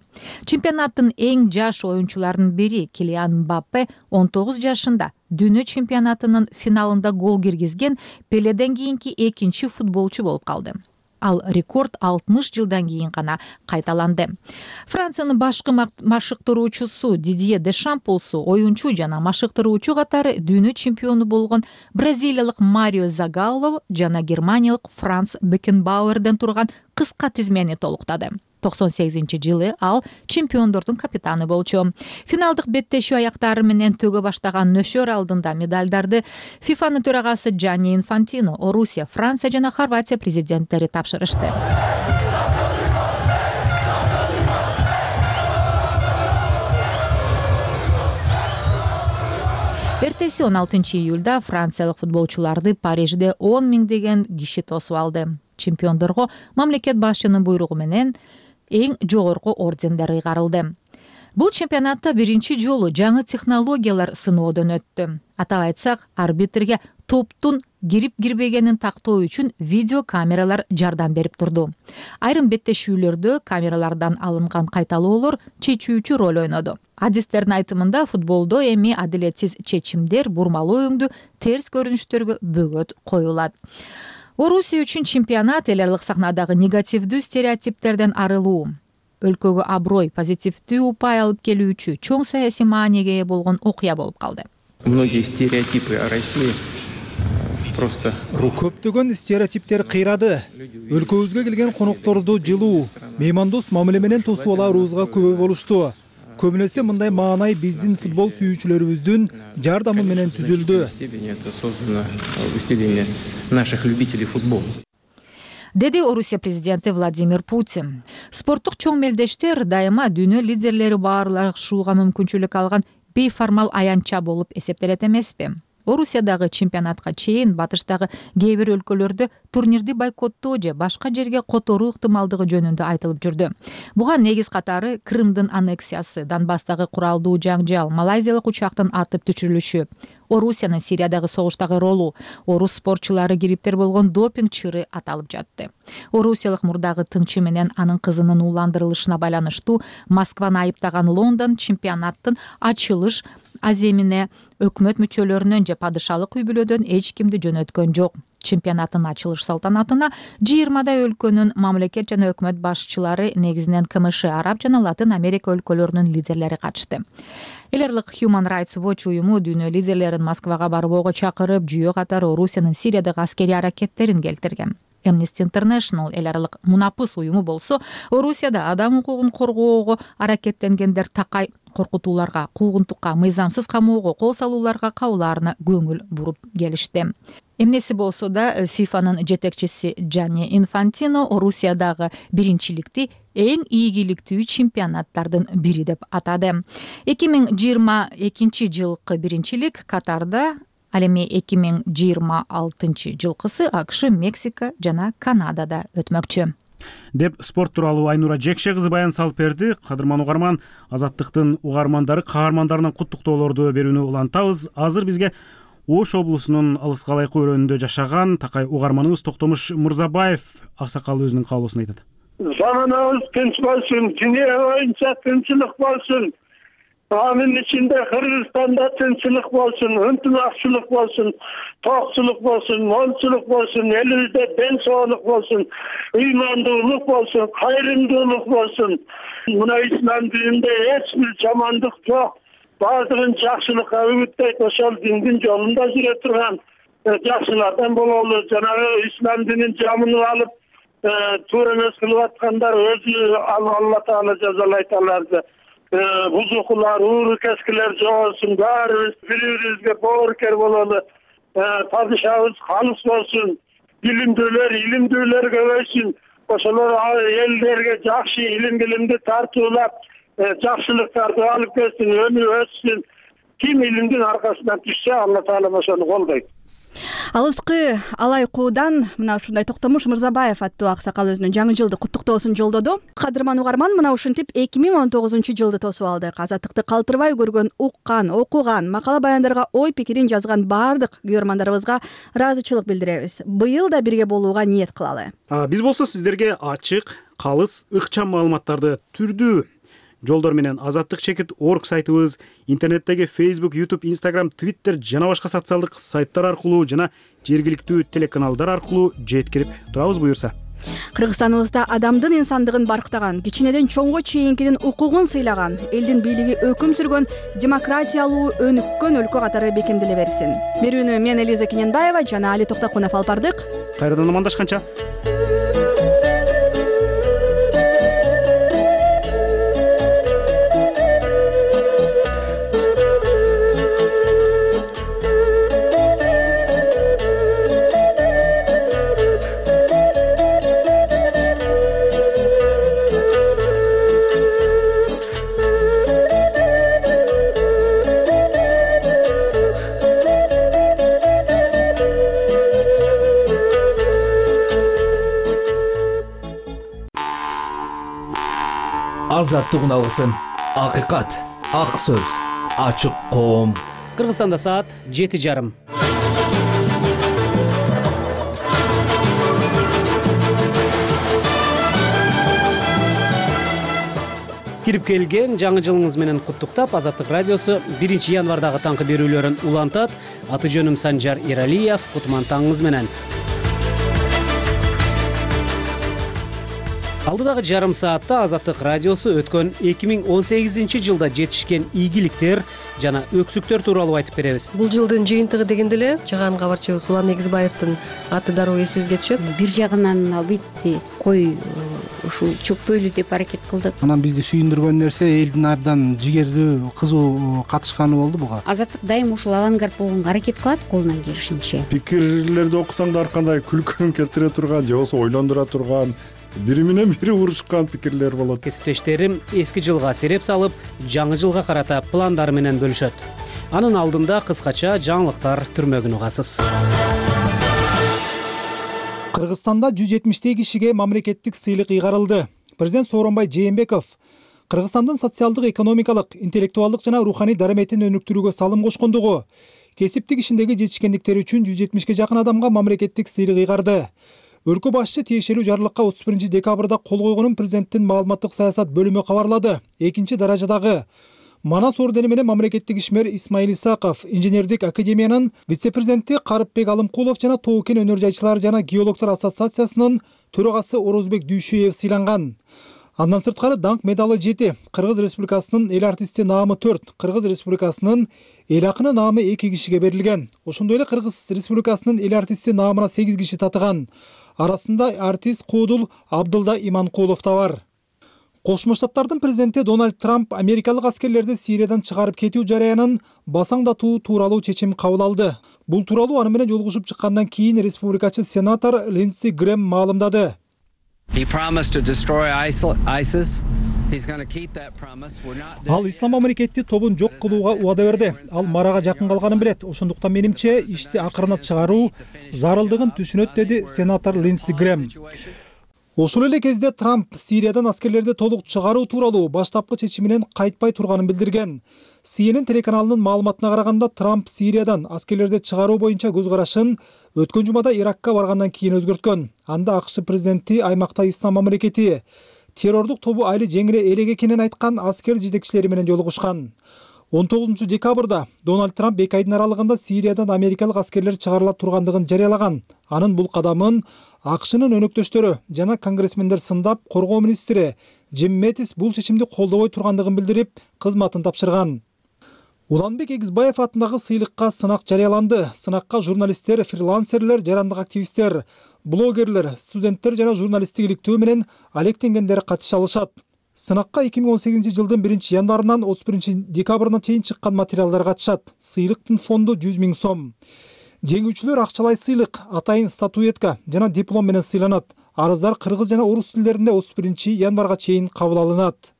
Чемпионаттын эң жаш оюнчуларынын бири Килиан Мбаппе 19 жашында дүйнө чемпионатынын финалында гол киргизген Пеледен кийинки экинчи футболчу болуп калды. Ал рекорд 60 жылдан кийин гана кайталанды. Франциянын башкы машыктыруучусу Дидье Дешамп болсо оюнчу жана машыктыруучу катары дүйнө чемпиону болгон бразилиялык Марио Загалло жана германиялык Франц Бекенбауэрден турган кыска тизмени толуктады. 98-жылы ал чемпиондордун капитаны болчу. Финалдык беттешүү аяктары менен төгө баштаган нөшөр алдында медалдарды ФИФАнын төрагасы Джанни Инфантино, Орусия, Франция жана Хорватия президенттери тапшырышты. Эртеси 16-июлда франциялык футболчуларды Парижде 10 миңдеген киши тосуп алды. Чемпиондорго мамлекет башчынын буйругу менен эң жогорку ордендер ыйгарылды. Бул чемпионатта биринчи жолу жаңы технологиялар сыноодон өттү. Атап айтсак, арбитрге топтун кирип-кирбегенин тактоо үчүн видео камералар жардам берип турду. Айрым беттешүүлөрдө камералардан алынган кайталоолор чечүүчү роль ойноду. Адистердин айтымында футболдо эми адилетсиз чечимдер, бурмалуу өңдү терс көрүнүштөргө бөгөт коюлат. Орусия үчүн чемпионат эл аралык сахнадагы негативдүү стереотиптерден арылуу, өлкөгө аброй, позитивдүү упай алып келүүчү чоң саясий мааниге ээ болгон окуя болуп калды. Многие стереотипы о России просто көптөгөн стереотиптер кыйрады. Өлкөбүзгө келген конокторду жылуу, меймандос мамиле менен тосуп алаарыбызга күбө болушту. Көбүнесе мындай маанай биздин футбол сүйүүчүлөрүбүздүн жардамы менен түзүлдү. Это создано усилиями наших любителей футбола. деди Орусия президенти Владимир Путин. Спорттук чоң мелдештер дайыма дүйнө лидерлери баарлашууга мүмкүнчүлүк алган бейформал аянтча болуп эсептелет эмеспи? Орусиядагы чемпионатка чейин батыштагы кээ бир өлкөлөрдө турнирди бойкоттоо же башка жерге которуу ыктымалдыгы жөнүндө айтылып жүрдү. Буга негиз катары Крымдын аннексиясы, Донбасстагы куралдуу жаңжал, малайзиялык учактын атып түшүрүлүшү, Орусиянын Сириядагы согуштагы ролу, орус спортчулары кириптер болгон допинг чыры аталып жатты. Орусиялык мурдагы тыңчы менен анын кызынын ууландырылышына байланыштуу Москваны айыптаган Лондон чемпионаттын ачылыш аземине өкмөт мүчөлөрүнөн же падышалык үй бүлөдөн эч кимди жөнөткөн жок. Чемпионаттын ачылыш салтанатына 20 өлкөнүн мамлекет жана өкмөт башчылары, негизинен КМШ, Араб жана Латын Америка өлкөлөрүнүн лидерлери катышты. Эл аралык Human Rights Watch уюму дүйнө лидерлерин Москвага барбоого чакырып, жүйө катары Орусиянын Сириядагы аскерий аракеттерин келтирген. Amnesty International эл аралык мунапыс уюму болсо, Орусияда адам укугун коргоого аракеттенгендер такай коркутууларга, куугунтукка, мыйзамсыз камоого, кол салууларга кабылаарына көңүл буруп келишти. Эмнеси болсо да ФИФАнын жетекчиси Джанни Инфантино Орусиядагы биринчиликти эң ийгиликтүү чемпионаттардын бири деп атады. 2022 жылкы биринчилик Катарда, ал эми 2026 жылкысы АКШ, Мексика жана Канадада өтмөкчү деп спорт тууралуу Айнура Жекше кызы баян салып берди. Кадырман угарман, Азаттыктын угармандары каармандарынан куттуктоолорду берүүнү улантабыз. Азыр бизге Ош облусунун Алыс Калайкы өрөөнүндө жашаган такай угарманыбыз Токтомуш Мырзабаев аксакал өзүнүн каалоосун айтат. Заманыбыз тынч болсун, дүйнө боюнча тынчылык болсун. Анын ичинде Кыргызстанда тынчылык болсун, ынтымакчылык болсун, токчулук болсун, молчулук болсун, элибизде ден соолук болсун, ыймандуулук болсун, кайрымдуулук болсун. Мына ислам дининде эч бир жамандык жок. Баардыгын жакшылыкка үгүттөйт, ошол диндин жолунда жүрө турган жакшылардан бололу. Жанагы ислам динин жамынып алып, туура эмес кылып аткандар өзү Алла Таала жазалайт аларды. Бузукулар, ууру-кескилер жогосун, баарыбыз бири-бирибизге боорукер бололу. Падышабыз халыс болсун, илимдүүлөр көбөйсүн. Ошолор элдерге жакшы илимди тартуулап, жакшылыктарды алып келсин, өмүр өссүн. Ким илимдин аркасынан түшсө, Алла Таала ошону колдойт. Алыскы Алайкуудан мына ушундай Токтомуш Мырзабаев аттуу аксакал өзүнүн жаңы жылдык куттуктоосун жолдоду. Кадырман угарман, мына ушинтип 2019 жылды тосуп алдык. Азаттыкты калтырбай көргөн, уккан, окуган, макала баяндарга ой пикирин жазган баардык күйөрмандарыбызга ыраазычылык билдиребиз. Быйыл да бирге болууга ниет кылалы. Биз болсо сиздерге ачык, калыс, ыкчам маалыматтарды түрдүү жолдор менен azattik.org сайтыбыз, интернеттеги Facebook, YouTube, Instagram, Twitter жана башка социалдык сайттар аркылуу жана жергиликтүү телеканалдар аркылуу жеткирип турабыз буюрса. Кыргызстаныбызда адамдын инсандыгын барктаган, кичинеден чоңго чейинкинин укугун сыйлаган, элдин бийлиги өкүм сүргөн, демократиялуу өнүккөн өлкө катары бекемделе берсин. Берүүнү мен Элиза Кененбаева жана Али Токтокунов алып бардык. Кайрадан амандашканча. Азаттыгын алгысың, акыйкат, ак сөз, ачык коом. Кыргызстанда саат 7:30. Кирип келген жаңы жылыңыз менен куттуктап, Азаттык радиосу 1 январдагы таңкы берүүлөрүн улантат. Аты жөнүм Санжар Эралиев. Кутман таңыңыз менен. Алдыдагы жарым саатта Азаттык радиосу өткөн 2018 жылда жетишкен ийгиликтер жана өксүктөр тууралуу айтып беребиз. Бул жылдын жыйынтыгы дегенде эле чыган кабарчыбыз Улан Негизбаевдин аты дароо эсибизге түшөт. Бир жагынан албетте кой ушул чөкпөйлү деп аракет кылдык. Анан бизди сүйүндүргөн нерсе элдин абдан жигердүү, кызуу катышканы болду буга. Азаттык дайым ушул авангард болгонго аракет кылат колунан келишинче. Пикирлерди окусаң да ар кандай күлкүн келтире турган же болбосо ойлондура турган, бири менен бири урушкан пикирлер болот. Кесиптештерим эски жылга сереп салып, жаңы жылга карата пландары менен бөлүшөт. Анын алдында кыскача жаңылыктар түрмөгүн угасыз. Кыргызстанда 170 кишиге мамлекеттик сыйлык ыйгарылды. Президент Сооронбай Жээнбеков Кыргызстандын социалдык, экономикалык, интеллектуалдык жана руханий дараметин өнүктүрүүгө салым кошкондугу, кесиптик ишиндеги жетишкендиктери үчүн 170 жакын адамга мамлекеттик сыйлык ыйгарды. Өлкө башчысы тиешелүү жарлыкка 31 декабрда кол койгонун президенттин маалыматтык саясат бөлүмү кабарлады. Экинчи даражадагы Манас ордени менен мамлекеттик ишмер Исмаил Исаков, инженердик академиянын вице-президенти Карыпбек Алымкулов жана Тоо-Кен өнөр жайчылар жана геологтор ассоциациясынын төрагасы Орозбек Дүйшөев сыйланган. Андан сырткары даңк медалы 7, Кыргыз Республикасынын эл артисти наамы 4, Кыргыз Республикасынын эл акыны наамы 2 кишиге берилген. Ошондой эле Кыргыз Республикасынын эл артисти наамына 8 киши татыган. Арасында артист Куудул Абдылда Иманкулов да бар. Кошмо Штаттардын президенти Дональд Трамп америкалык аскерлерди Сириядан чыгарып кетүү жараянын басаңдатуу тууралуу чечим кабыл алды. Бул тууралуу аны менен жолугушуп чыккандан кийин республикачы сенатор Линдси Грэм маалымдады. Ал Ислам мамлекети тобун жок кылууга убада берди. Ал марага жакын калганын билет. Ошондуктан менимче ишти акырына чыгаруу зарылдыгын түшүнөт, деди сенатор Линдси Грэм. Ошол эле кезде Трамп Сириядан аскерлерди толук чыгаруу тууралуу баштапкы чечиминен кайтпай турганын билдирген. CNN телеканалынын маалыматына караганда, Трамп Сириядан аскерлерди чыгаруу боюнча көз карашын өткөн жумада Иракка баргандан кийин өзгөрткөн. Анда АКШ президенти аймакта Ислам мамлекети террордук тобу айыл жеңире элек экенин айткан аскер жетекчилери менен жолугушкан. 19 декабрда Дональд Трамп 2 айдын аралыгында Сириядан америкалык аскерлер чыгарыла тургандыгын жарыялаган. Анын бул кадамын АКШнын өнөктөштөрү жана конгрессмендер сындап, коргоо министри Джим Мэттис бул чечимди колдобой тургандыгын билдирип, кызматын тапшырган. Уланбек Эгизбаев атындагы сыйлыкка сынак жарыяланды. Сынакка журналисттер, фрилансерлер, жарандык активисттер, блогерлер, студенттер жана журналисттик иликтөө менен алектенгендер катыша алышат. Сынакка 2018 жылдын 1 январынан 31 декабрына чейин чыккан материалдар катышат. Сыйлыктын фонду 100 000 сом. Жеңүүчүлөр акчалай сыйлык, атайын статуэтка жана диплом менен сыйланат. Арыздар кыргыз жана орус тилдеринде 31 январга чейин кабыл алынат.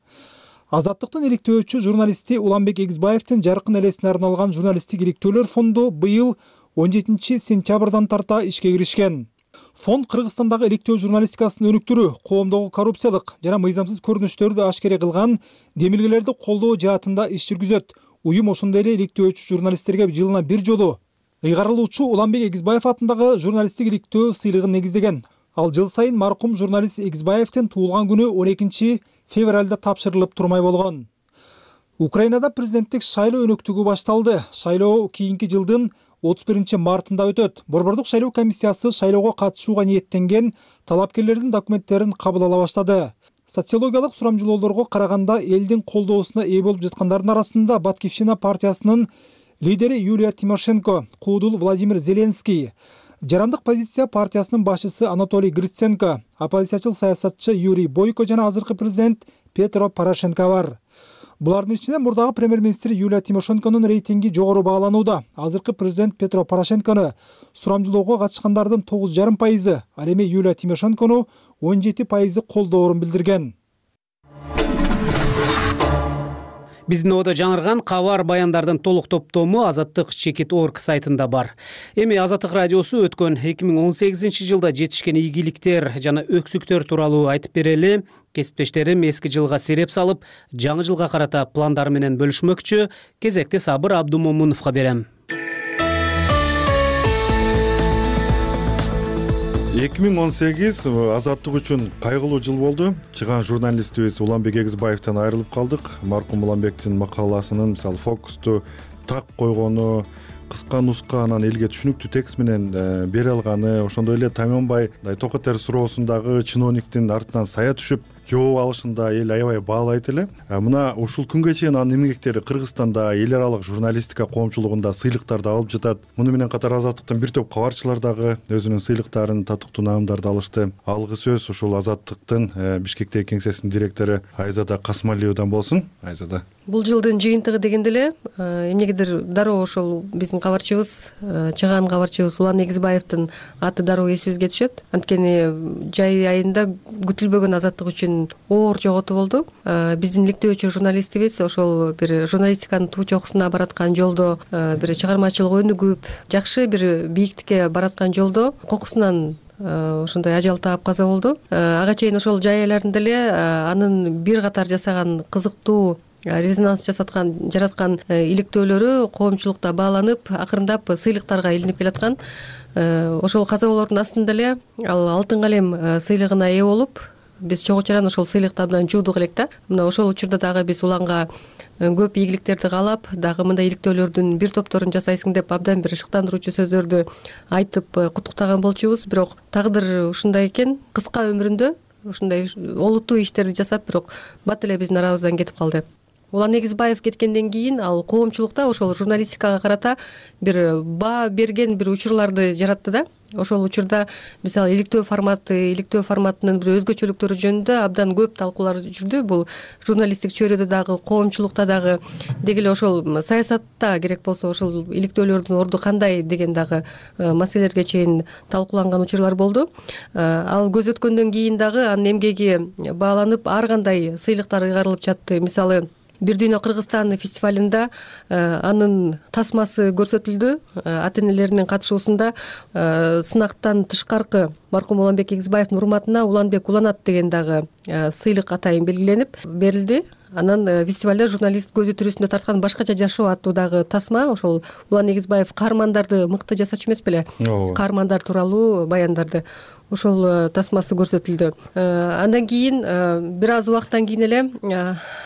Азаттыктын иликтөөчү журналисти Уланбек Эгизбаевдин жаркын элесине арналган журналисттик иликтөөлөр фонду быйыл 17 сентябрдан тарта ишке киришкен. Фонд Кыргызстандагы иликтөө журналистикасын өнүктүрүү, коомдогу коррупциялык жана мыйзамсыз көрүнүштөрдү ашкере кылган демилгелерди колдоо жаатында иш жүргүзөт. Уюм ошондой эле иликтөөчү журналисттерге жылына бир жолу ыйгарылуучу Уланбек Эгизбаев атындагы журналисттик иликтөө сыйлыгын негиздеген. Ал жыл сайын маркум журналист Эгизбаевдин туулган күнү 12 февралда тапшырылып турмай болгон. Украинада президенттик шайлоо өнөктүгү башталды. Шайлоо кийинки жылдын 31 мартында өтөт. Борбордук шайлоо комиссиясы шайлоого катышууга ниеттенген талапкерлердин документтерин кабыл ала баштады. Социологиялык сурамжылоолорго караганда элдин колдоосуна ээ болуп жаткандардын арасында Баткивщина партиясынын лидери Юлия Тимошенко, Куудул Владимир Зеленский, жарандык позиция партиясынын башчысы Анатолий Гриценко, оппозициячыл саясатчы Юрий Бойко жана азыркы президент Петро Порошенко бар. Булардын ичинде мурдагы премьер-министр Юлия Тимошенконун рейтинги жогору бааланууда. Азыркы президент Петро Порошенкону сурамжылоого катышкандардын 9,5%, ал эми Юлия Тимошенкону 17% колдоорун билдирген. Биздин ободо жаңырган кабар баяндардын толук топтому Азаттык Чекит.org сайтында бар. Эми Азаттык радиосу өткөн 2018 жылда жетишкен ийгиликтер жана өксүктөр тууралуу айтып берели. Кесиптештерим эски жылга сереп салып, жаңы жылга карата пландары менен бөлүшмөкчү. Кезекти Сабыр Абдумомуновго берем. 2018 азаттык үчүн кайгылуу жыл болду. Чыган журналистибиз Уланбек Эгизбаевден айрылып калдык. Маркум Уланбектин макаласынын, мисалы, фокусту так койгону, кыска нуска анан элге түшүнүктүү текст менен бере алганы, ошондой эле Тамёнбай Токотер суроосундагы чиновниктин артынан сая түшүп жооп алышын да эл аябай баалайт эле. Мына ушул күнгө чейин анын эмгектери Кыргызстанда эл аралык журналистика коомчулугунда сыйлыктарды алып жатат. Муну менен катар Азаттыктын бир топ кабарчылар дагы өзүнүн сыйлыктарын, татыктуу наамдарды алышты. Алгы сөз ушул Азаттыктын Бишкектеги кеңсесинин директору Айзада Касмалиевадан болсун. Айзада, бул жылдын жыйынтыгы дегенде эле эмнегедир дароо ошол биздин кабарчыбыз, чыгаан кабарчыбыз Улан Эгизбаевдин аты дароо эсибизге түшөт. Анткени жай айында күтүлбөгөн Азаттык үчүн оор жоготуу болду. Биздин иликтөөчү журналистибиз ошол бир журналистиканын туу чокусуна бараткан жолдо, бир чыгармачылык өнүгүп, жакшы бир бийиктикке бараткан жолдо кокусунан ошондой ажал таап каза болду. Ага чейин ошол жай айларында эле анын бир катар жасаган кызыктуу резонанс жараткан иликтөөлөрү коомчулукта бааланып, акырындап сыйлыктарга илинип келаткан. Ошол каза болоордун астында эле ал алтын калем сыйлыгына ээ болуп, биз чогуу чаран ошол сыйлыкты абдан жуудук элек да. Мына ошол учурда дагы биз Уланга көп ийгиликтерди каалап, дагы мындай иликтөөлөрдүн бир топторун жасайсың деп абдан бир шыктандыруучу сөздөрдү айтып куттуктаган болчубуз. Бирок тагдыр ушундай экен, кыска өмүрүндө ушундай олуттуу иштерди жасап, бирок бат эле биздин арабыздан кетип калды. Улан Эгизбаев кеткенден кийин ал коомчулукта ошол журналистикага карата бир баа берген бир учурларды жаратты да. Ошол учурда мисалы иликтөө форматынын бир өзгөчөлүктөрү жөнүндө абдан көп талкуулар жүрдү. Бул журналисттик чөйрөдө дагы, коомчулукта дагы, деги эле ошол саясатта керек болсо ошол иликтөөлөрдүн орду кандай деген дагы маселелерге чейин талкууланган учурлар болду. Ал көз өткөндөн кийин дагы анын эмгеги бааланып, ар кандай сыйлыктар ыйгарылып жатты. Мисалы Бир дүйнө Кыргызстан фестивалында анын тасмасы көрсөтүлдү. Ата энелеринин катышуусунда сынактан тышкаркы маркум Уланбек Эгизбаевдин урматына Уланбек уланат деген дагы сыйлык атайын белгиленип берилди. Анан фестивалда журналист көзү тирүүсүндө тарткан башкача жашоо аттуу дагы тасма, ошол Улан Эгизбаев каармандарды мыкты жасачу эмес беле? Каармандар тууралуу баяндарды ошол тасмасы көрсөтүлдү. Андан кийин бир аз убакыттан кийин эле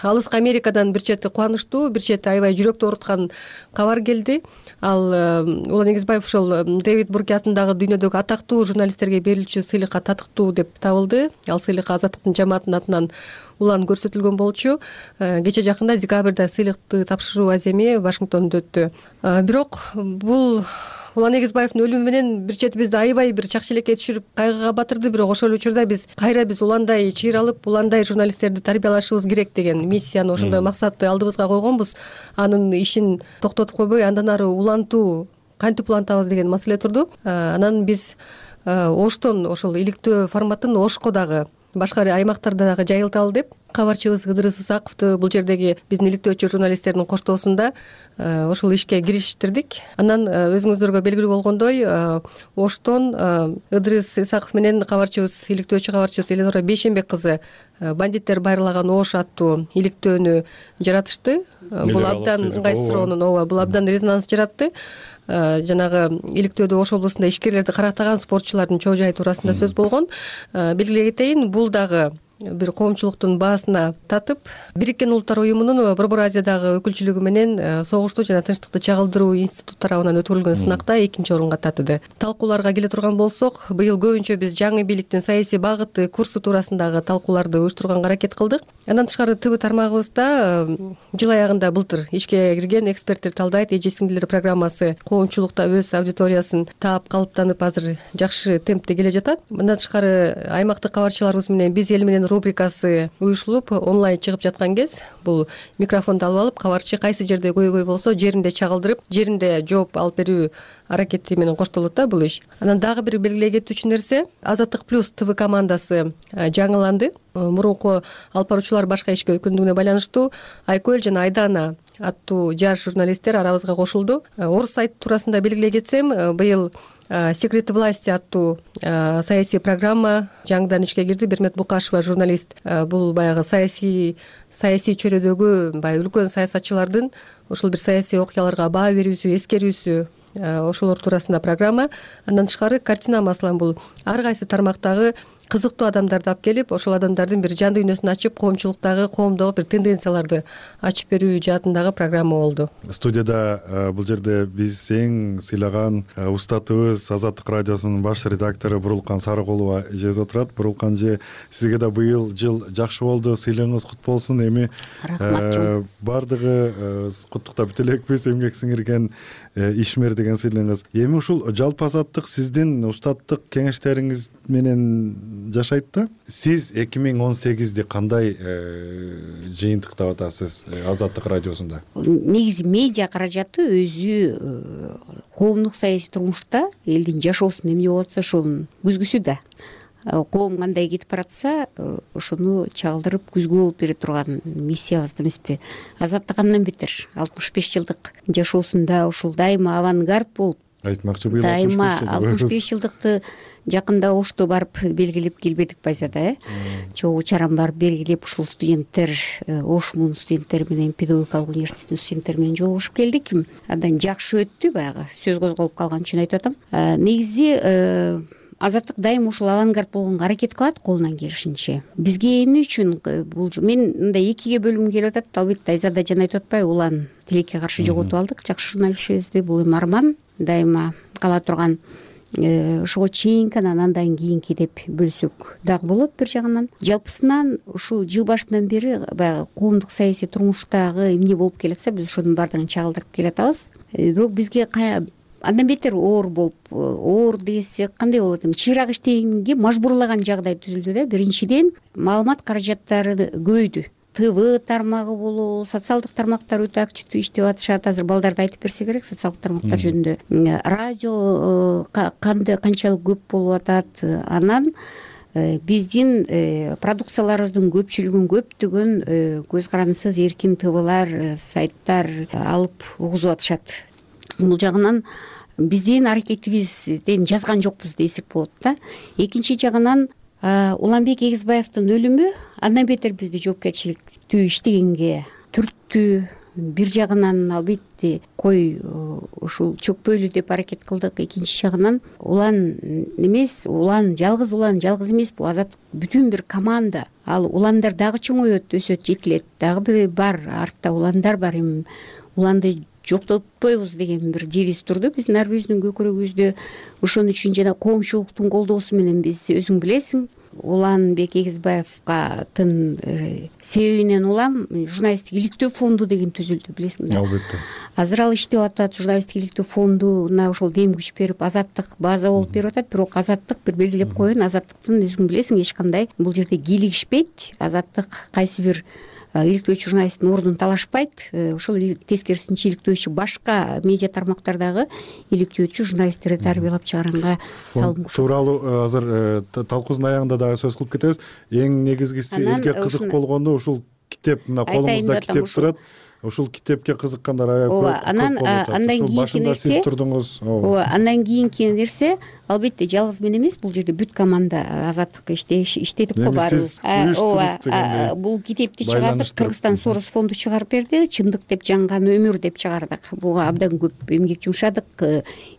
алыскы Америкадан бир чети кубанычтуу, бир чети аябай жүрөктү ооруткан кабар келди. Ал Улан Эгизбаев ошол Дэвид Бурки атындагы дүйнөдөгү атактуу журналисттерге берилчү сыйлыкка татыктуу деп табылды. Ал сыйлыкка Азаттыктын жамаатынын атынан Улан көрсөтүлгөн болчу. Кече жакында декабрда сыйлыкты тапшыруу аземи Вашингтондо өттү. Бирок бул Улан Эгизбаевдин өлүмү менен бир чети бизди аябай бир чакчы элекке түшүрүп кайгыга батырды. Бирок ошол учурда биз кайра уландай чыйралып, уландай журналисттерди тарбиялашыбыз керек деген миссияны, ошондой максатты алдыбызга койгонбуз. Анын ишин токтотуп койбой, андан ары улантуу, кантип улантабыз деген маселе турду. Анан биз Оштон ошол иликтөө форматын Ошко дагы, башка аймактарда дагы жайылталы деп кабарчыбыз Ыдырыс Исаковду бул жердеги биздин иликтөөчү журналисттердин коштоосунда ошол ишке кириштирдик. Анан өзүңүздөргө белгилүү болгондой, Оштон Ыдырыс Исаков менен кабарчыбыз, иликтөөчү кабарчыбыз Эленора Бейшенбек кызы бандиттер байырлаган Ош аттуу иликтөөнү жаратышты. Бул абдан ыңгайсыроонун, бул абдан резонанс жаратты. Жанагы иликтөөдө Ош облусунда ишкерлерди карактаган спортчулардын чоо жайы туурасында сөз болгон. Белгилей кетейин, бул дагы бир коомчулуктун баасына татып, Бириккен Улуттар уюмунун Борбор Азиядагы өкүлчүлүгү менен согушту жана тынчтыкты чагылдыруу институтту тарабынан өткөрүлгөн сынакта 2-орунга татыды. Талкууларга келе турган болсок, быйыл көбүнчө биз жаңы бийликтин саясий багыты, курсу туурасындагы талкууларды уюштурганга аракет кылдык. Андан тышкары ТВ тармагыбызда жыл аягында былтыр ишке кирген эксперттер талдайт эже сиңдилер программасы коомчулукта өз аудиториясын таап, калыптанып, азыр жакшы темпте келе жатат. Мындан тышкары аймактык кабарчыларыбыз менен биз эл менен рубрикасы уюшулуп онлайн чыгып жаткан кез, бул микрофонду алып алып, кабарчы кайсы жерде көйгөй болсо жеринде чагылдырып, жеринде жооп алып берүү аракети менен коштолот да бул иш. Анан дагы бир белгилей кетүүчү нерсе, Азаттык плюс ТВ командасы жаңыланды. Мурунку алып баруучулар башка ишке өткөндүгүнө байланыштуу Айкөл жана Айдана аттуу жаш журналисттер арабызга кошулду. Орус сайты туурасында белгилей кетсем, быйыл Секреты власти аттуу саясий программа жаңыдан ишке кирди. Бермет Букашева журналист. Бул баягы саясий чөйрөдөгү баягы үлкөн саясатчылардын ошол бир саясий окуяларга баа берүүсү, эскерүүсү, ошолор туурасында программа. Андан тышкары картина, маселен, бул ар кайсы тармактагы кызыктуу адамдарды алып келип, ошол адамдардын бир жан дүйнөсүн ачып, коомчулуктагы, коомдогу бир тенденцияларды ачып берүү жаатындагы программа болду. Студияда бул жерде биз эң сыйлаган устатыбыз Азаттык радиосунун баш редактору Бурулкан Сарыкулова эжебиз отурат. Бурулкан эже, сизге да быйыл жыл жакшы болду, сыйлыгыңыз кут болсун. Эми баардыгы куттуктап бүтө элекпиз, эмгек сиңирген ишмер деген сыйлыгыңыз. Эми ушул жалпы азаттык сиздин устаттык кеңештериңиз менен жашайт да. Сиз 2018-ди кандай жыйынтыктап атасыз Азаттык радиосунда? Негизи медиа каражаты өзү коомдук саясий турмушта элдин жашоосун эмне болуп атса ошонун күзгүсү да. Коом кандай кетип баратса, ошону чагылдырып күзгү болуп бере турган миссиябыз эмеспи? Азаттык андан бетер 65 жылдык жашоосунда ушул дайыма авангард болуп, айтмакчы быйыл дайыма 65 жылдыкты жакында Ошто барып белгилеп келбедик байзада, чогуу чарам барып белгилеп, ушул студенттер, Ошмун студенттери менен педагогикалык университеттин студенттери менен жолугушуп келдик. Андан жакшы өттү, баягы сөз козголуп калган үчүн айтып атам. Негизи Азаттык дайыма ушул авангард болгонго аракет кылат колунан келишинче. Бизге эмне үчүн бул мен мындай экиге бөлүнгүм келип атат. Албетте Айзада жана айтып атпайбы, улан тилекке каршы жоготуп алдык жакшы журналистибизди. Бул эми арман дайыма кала турган. Ошого чейинки анан кийинки деп бөлсөк дагы болот бир жагынан. Жалпысынан ушул жыл башынан бери баягы коомдук саясий турмуштагы эмне болуп келатса, биз ошонун баардыгын чагылдырып келатабыз. Бирок бизге андан бетер оор болуп, оор десек кандай болот эми, чыйраак иштегенге мажбурлаган жагдай түзүлдү да. Биринчиден, маалымат каражаттары көбөйдү. ТВ тармагы болобу, социалдык тармактар өтө активдүү иштеп атышат. Азыр балдарды айтып берсе керек социалдык тармактар жөнүндө. Радио канчалык көп болуп атат. Анан биздин продукцияларыбыздын көпчүлүгүн көптөгөн көз карандысыз эркин ТВлар, сайттар алып угузуп атышат. Бул жагынан биздин аракетибизден жазган жокпуз десек болот да. Экинчи жагынан Уланбек Эгизбаевдин өлүмү андан бетер бизди жоопкерчиликтүү иштегенге түрттү. Бир жагынан албетте ушул чөкпөйлү деп аракет кылдык. Экинчи жагынан улан жалгыз эмес, бул Азаттык бүтүн бир команда. Ал уландар дагы чоңойот, өсөт, жетилет. Дагы бир бар, артта уландар бар. Эми уланды жоктотпойбуз деген бир девиз турду биздин ар бирибиздин көкүрөгүбүздө. Ошон үчүн жана коомчулуктун колдоосу менен биз, өзүң билесиң, Уланбек Эгизбаевга себебинен улам журналисттик иликтөө фонду деген түзүлдү, билесиңби? Албетте. Азыр ал иштеп атат, журналисттик иликтөө фондуна ошол дем күч берип, Азаттык база болуп берип атат. Бирок Азаттык бир белгилеп коеюн, Азаттыктын өзүң билесиң эч кандай бул жерде кийлигишпейт. Азаттык кайсы бир иликтөөчү журналисттин ордун талашпайт. Ошол тескерисинче иликтөөчү башка медиа тармактардагы иликтөөчү журналисттерди тарбиялап чыгаранга салым кошот. Тууралуу азыр талкуубуздун аягында дагы сөз кылып кетебиз. Эң негизгиси элге кызык болгону ушул китеп, мына колуңузда китеп турат. Ушул китепке кызыккандар аябай көп болуп атат. Андан кийинки нерсе, сиз турдуңуз. Андан кийинки нерсе, албетте жалгыз мен эмес, бул жерде бүт команда Азаттык иштедик го баарыбыз. Бул китепти чыгардык, Кыргызстан Сорос фонду чыгарып берди. Чындык деп жанган өмүр деп чыгардык. Буга абдан көп эмгек жумшадык.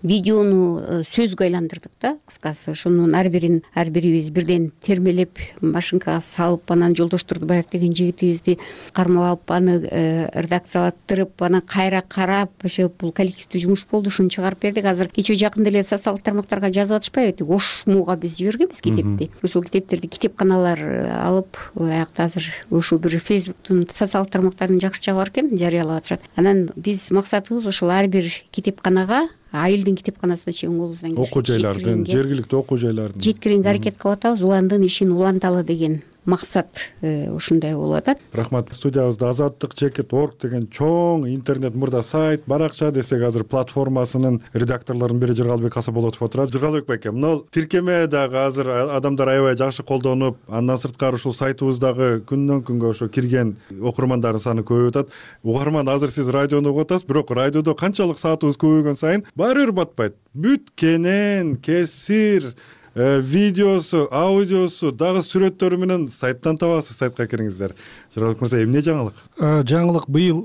Видеону сөзгө айландырдык да, кыскасы. Ошонун ар бирибиз бирден термелеп, машинкага салып, анан Жолдош Турдубаев деген жигитибизди кармап алып, аны редакциялаштырып, анан кайра карап, ошо бул коллективдүү жумуш болду. Ушуну чыгарып бердик. Азыр кечээ жакында эле социалдык тармактарга жазып атышпайбы? Ошмуга биз жибергенбиз китепти. Ошол китептерди китепканалар алып, аякта азыр ушул бир Фейсбуктун социалдык тармактарын жакшы жагы бар экен, жарыялап атышат. Анан биз максатыбыз ошол ар бир китепканага, айылдын китепканасына чейин колубуздан келишинче окуу жайлардын, жергиликтүү окуу жайлардын жеткирүүгө аракет кылып атабыз. Уландын ишин уланталы деген максат ушундай болуп атат. Рахмат. Студиябызда azattik.org деген чоң интернет мурда сайт, баракча десек азыр платформасынын редакторлорунун бири Жыргалбек Касаболотов отурат. Жыргалбек байке, мына тиркеме дагы азыр адамдар аябай жакшы колдонуп, андан сырткары ушул сайтыбыздагы күндөн күнгө ошо кирген окурмандардын саны көбөйүп атат. Угарман, азыр сиз радиону угуп атасыз, бирок радиодо канчалык саатыбыз көбөйгөн сайын баары бир батпайт. Бүт кенен, кесир, видеосу, аудиосу, дагы сүрөттөрү менен сайттан табасыз. Сайтка кириңиздер. Жорабек мырза, эмне жаңылык? Жаңылык быйыл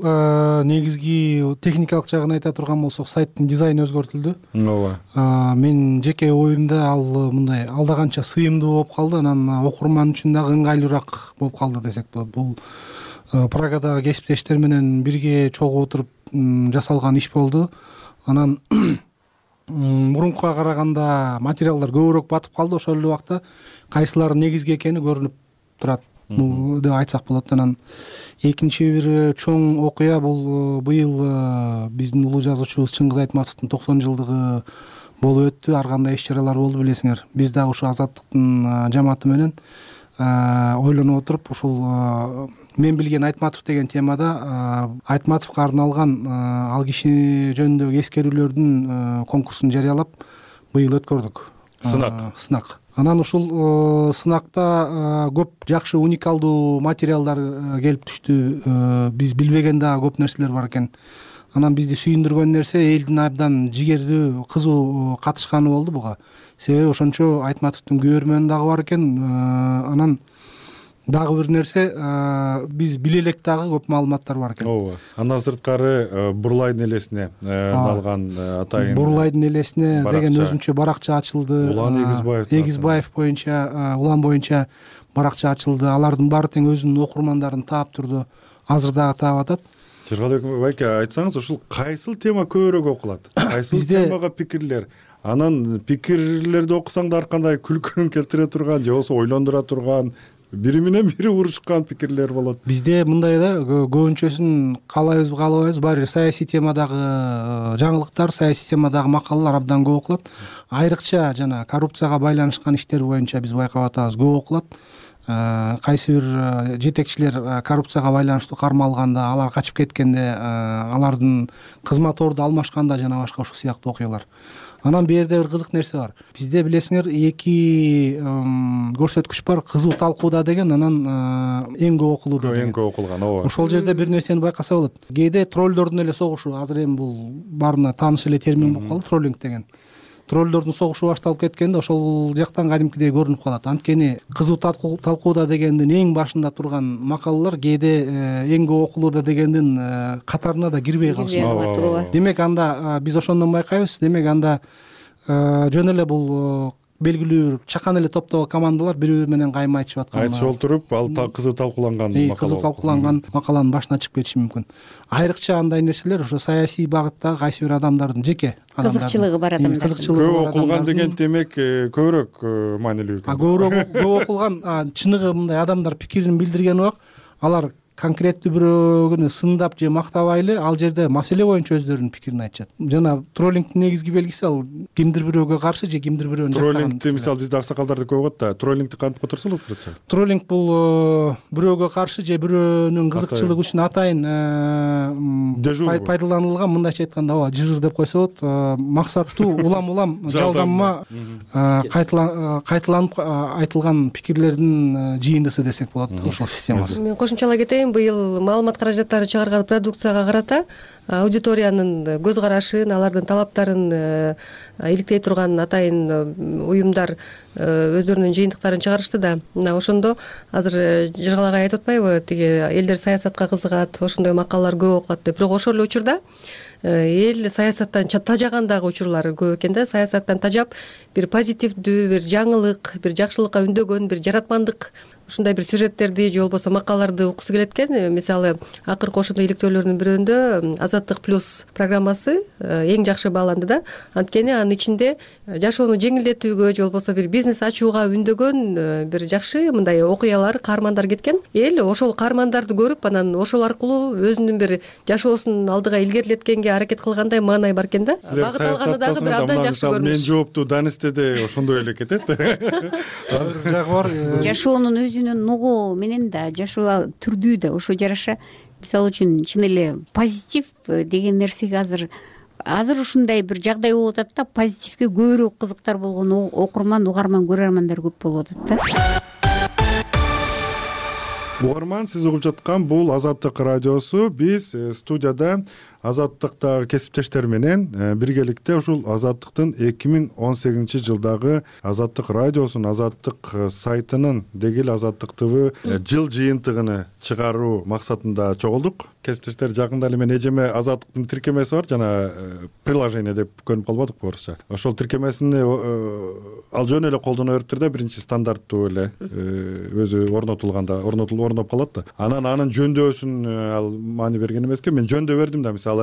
негизги техникалык жагын айта турган болсок, сайттын дизайны өзгөртүлдү. Ооба. Мен жеке оюмда ал мындай алдаганча сыйымдуу болуп калды, анан окурман үчүн дагы ыңгайлуураак болуп калды десек болот. Бул Прагадагы кесиптештер менен бирге чогуу отуруп жасалган иш болду. Анан мурункуга караганда материалдар көбүрөөк батып калды. Ошол эле убакта кайсылары негизги экени көрүнүп турат деп айтсак болот. Анан экинчи бир чоң окуя бул быйыл биздин улуу жазуучубуз Чыңгыз Айтматовдун 90 жылдыгы болуп өттү. Ар кандай иш-чаралар болду билесиңер. Биз дагы ушу Азаттыктын жамааты менен ойлонуп отуруп, ушул мен билген Айтматов деген темада Айтматовго арналган ал киши жөнүндөгү эскерүүлөрдүн конкурсун жарыялап быйыл өткөрдүк. Сынак. Анан ушул сынакта көп жакшы уникалдуу материалдар келип түштү. Биз билбеген дагы көп нерселер бар экен. Анан бизди сүйүндүргөн нерсе элдин абдан жигердүү, кызуу катышканы болду буга. Себеби ошончо Айтматовдун көрөрмөнү дагы бар экен. Анан дагы бир нерсе, биз биле элек дагы көп маалыматтар бар экен. Ооба. Андан сырткары Бурлайдын элесине арналган атайын Бурлайдын элесине деген өзүнчө баракча ачылды. Улан Эгизбаев боюнча, улан боюнча баракча ачылды. Алардын баары тең өзүнүн окурмандарын таап турду. Азыр дагы таап атат. Жыргалбек байке, айтсаңыз, ушул кайсыл тема көбүрөөк окулат? Кайсыл темага пикирлер? Анан пикирлерди окусаң да ар кандай күлкүн келтире турган же болбосо ойлондура турган, бири менен бири урушкан пикирлер болот. Бизде мындай да, көбүнчөсүн каалайбызбы, каалабайбызбы, баары бир саясий темадагы жаңылыктар, саясий темадагы макалалар абдан көп окулат. Айрыкча жана коррупцияга байланышкан иштер боюнча биз байкап атабыз, көп окулат. Кайсы бир жетекчилер коррупцияга байланыштуу кармалганда, алар качып кеткенде, алардын кызмат орду алмашканда жана башка ушул сыяктуу окуялар. Анан бу жерде бир кызык нерсе бар. Бизде билесиңер, эки көрсөткүч бар. Кызуу талкууда деген, анан эң көп окулууда деген. Эң көп окулган, ооба. Ошол жерде бир нерсени байкаса болот. Кээде троллдордун эле согушу, азыр эми бул баарына тааныш эле термин болуп калды, троллинг деген. Троллдордун согушу башталып кеткенде ошол жактан кадимкидей көрүнүп калат. Анткени кызуу талкууда дегендин эң башында турган макалалар кээде эң көп окулууда дегендин катарына да кирбей калышат. Демек анда биз ошондон байкайбыз. Демек анда жөн эле бул белгилүү чакан эле топтогу командалар бири-бири менен кайма айтышып аткан. Айтышып отуруп, ал кызуу талкууланган макала. Кызуу талкууланган макаланын башына чыгып кетиши мүмкүн. Айрыкча андай нерселер ошо саясий багыттагы кайсы бир адамдардын жеке кызыкчылыгы бар адамдар. Көп окулган деген демек көбүрөөк маанилүү экен. Көп окулган, чыныгы мындай адамдар пикирин билдирген убак, алар конкреттүү бирөөгүнү сындап же мактабайлы, ал жерде маселе боюнча өздөрүнүн пикирин айтышат. Жана троллингдин негизги белгиси ал кимдир бирөөгө каршы же кимдир бирөөнү жактаган. Троллингди мисалы бизде аксакалдарды көп угат да. Троллингди кантип которсо болот кыргызча? Троллинг бул бирөөгө каршы же бирөөнүн кызыкчылыгы үчүн атайын пайдаланылган, мындайча айтканда, ооба, дежур деп койсо болот. Максаттуу улам жалданма кайталанып айтылган пикирлердин жыйындысы десек болот ошол системасы. Мен кошумчалай кетейин. Быйыл маалымат каражаттары чыгарган продукцияга карата аудиториянын көз карашын, алардын талаптарын иликтей турган атайын уюмдар өздөрүнүн жыйынтыктарын чыгарышты да. Мына ошондо азыр Жыргал агай айтып атпайбы, тиги элдер саясатка кызыгат, ошондой макалалар көп окулат деп. Бирок ошол эле учурда эл саясаттан тажаган дагы учурлар көп экен да. Саясаттан тажап бир позитивдүү, бир жаңылык, бир жакшылыкка үндөгөн, бир жаратмандык ушундай бир сюжеттерди же болбосо макалаларды окусу келет экен. Мисалы, акыркы ошондой иликтөөлөрдүн бирөөндө Азаттык плюс программасы эң жакшы бааланды да. Анткени анын ичинде жашоону жеңилдетүүгө же болбосо бир бизнес ачууга үндөгөн бир жакшы мындай окуялар, каармандар кеткен. Эл ошол каармандарды көрүп, анан ошол аркылуу өзүнүн бир жашоосун алдыга илгерилеткенге аракет кылгандай маанай бар экен да. Багыт алганы дагы бир абдан жакшы көрүнүш. Мен жооптуу Данистеде ошондой эле кетет. Жагы бар. Жашоонун өзүнүн нугу менен да, жашоо түрдүү да ошо жараша. Мисалы үчүн чын эле позитив деген нерсеге азыр ушундай бир жагдай болуп атат да, позитивге көбүрөөк кызыктар болгон, окурман, угарман, көрөрмандар көп болуп атат да. угарман, сиз угуп жаткан бул Азаттык радиосу. Биз студияда Азаттыктагы кесиптештер менен биргеликте ушул Азаттыктын 2018-жылдагы Азаттык радиосунун, Азаттык сайтынын, деги эле Азаттык ТВ жыл жыйынтыгын чыгаруу максатында чогулдук. Кесиптештер, жакында эле мен эжеме Азаттыктын тиркемеси бар, жана приложение деп көрүнүп калбадыкпы орусча. Ошол тиркемесини ал жөн эле колдоно бериптир да, биринчи стандарттуу эле өзү орноп калат да. Анын жөндөбөсүн ал маани берген эмеске, мен жөндөп бердим да, мисалы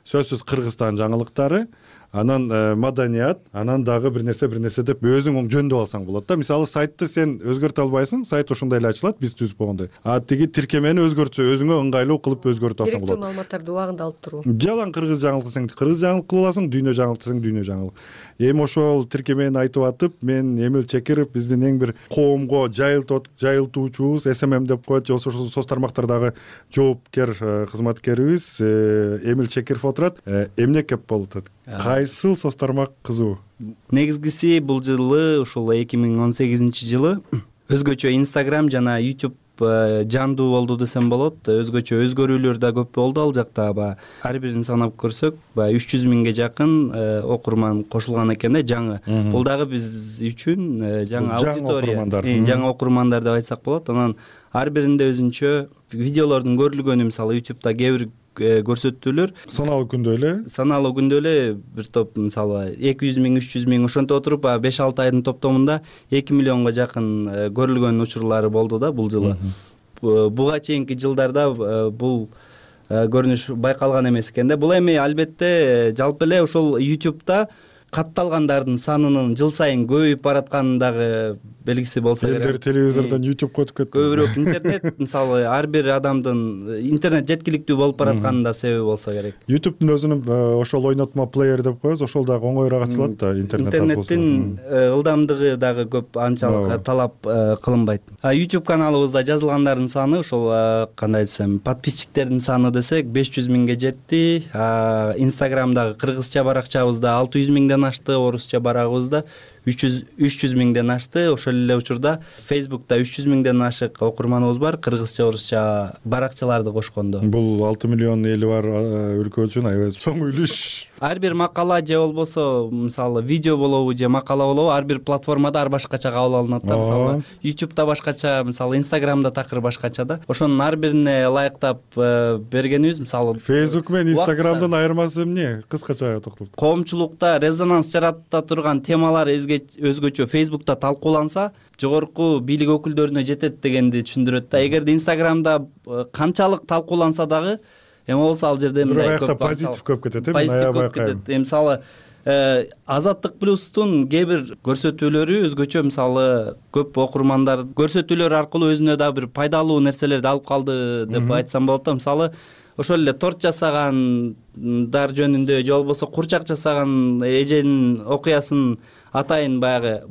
сөзсүз Кыргызстан жаңылыктары, анан маданият, анан дагы бир нерсе деп өзүң жөндөп алсаң болот да. Мисалы сайтты сен өзгөртө албайсың, сайт ошондой эле ачылат, биз түзүп койгондой. А тиги тиркемени өзгөртсө, өзүңө ыңгайлуу кылып өзгөртүп алсаң болот. Керектүү маалыматтарды убагында алып туруу. Жалаң кыргыз жаңылык десең кыргыз жаңылык кылып аласың, дүйнө жаңылык десең дүйнө жаңылык. Эми ошол тиркемени айтып атып, мен Эмил Чекиров, биздин эң бир коомго жайылтуучубуз, СММ деп коет, же ошол соц тармактардагы жоопкер кызматкерибиз Эмил Чекиров отурат. Эмне кеп болуп атат? Кайсыл соц тармак кызуу? Негизгиси бул жылы ушул 2018-жылы өзгөчө Instagram жана YouTube жандуу болду десем болот. Өзгөчө өзгөрүүлөр да көп болду ал жакта. Ар бирин санап көрсөк, 300 миңге жакын окурман кошулган экен да, жаңы. Бул дагы биз үчүн жаңы аудитория, жаңы окурмандар деп айтсак болот. Анан ар биринде өзүнчө видеолордун көрүлгөнү, мисалы YouTube'да кээ бир көрсөтүүлөр саналуу күндө эле бир топ, мисалы 200 миң, 300 миң ошонтип отуруп 5-6 айдын топтомунда 2 миллионго жакын көрүлгөн учурлары болду да бул жылы. Буга чейинки жылдарда бул көрүнүш байкалган эмес экен да. Бул эми албетте жалпы эле ошол YouTube'да катталгандардын санынын жыл сайын көбөйүп баратканын дагы белгиси болсо керек. Элдер телевизордон YouTube өтүп кетти. Көбүрөөк интернет, мисалы ар бир адамдын интернет жеткиликтүү болуп баратканын да себеби болсо керек. YouTube'дун өзүнүн ошол ойнотма плеер деп коебуз, ошол дагы оңоюраак ачылат да, интернеттин ылдамдыгы дагы көп анчалык талап кылынбайт. YouTube каналыбызда жазылгандардын саны ошол кандай десем, подписчиктердин саны десек 500 миңге жетти. Instagram'дагы кыргызча баракчабызда 600 миңден ашты, орусча барагыбызда 300 миңден ашты. Ошол эле учурда Facebook'та 300 миңден ашык окурманыбыз бар, кыргызча, орусча баракчаларды кошкондо. Бул 6 миллион эли бар өлкө үчүн аябай чоң үлүш. Ар бир макала же болбосо, мисалы видео болобу же макала болобу, ар бир платформада ар башкача кабыл алынат да. Мисалы YouTube'да башкача, мисалы Instagram'да такыр башкача да. Ошонун ар бирине ылайыктап бергенибиз, мисалы Facebook менен Instagram'дын айырмасы эмне? Кыскача токтолуп. Коомчулукта резонанс жарата турган темалар өзгөчө Facebook'та талкууланса, жогорку бийлик өкүлдөрүнө жетет дегенди түшүндүрөт да. Эгерде Instagram'да канчалык талкууланса дагы, эми болсо ал жерде мындай көп позитив көп кетет, мисалы Азаттык плюстун кээ бир көрсөтүүлөрү өзгөчө, мисалы көп окурмандар көрсөтүүлөр аркылуу өзүнө да бир пайдалуу нерселерди алып калды деп айтсам болот да. Мисалы ошол эле торт жасагандар жөнүндө же болбосо курчак жасаган эженин окуясын атайын баягы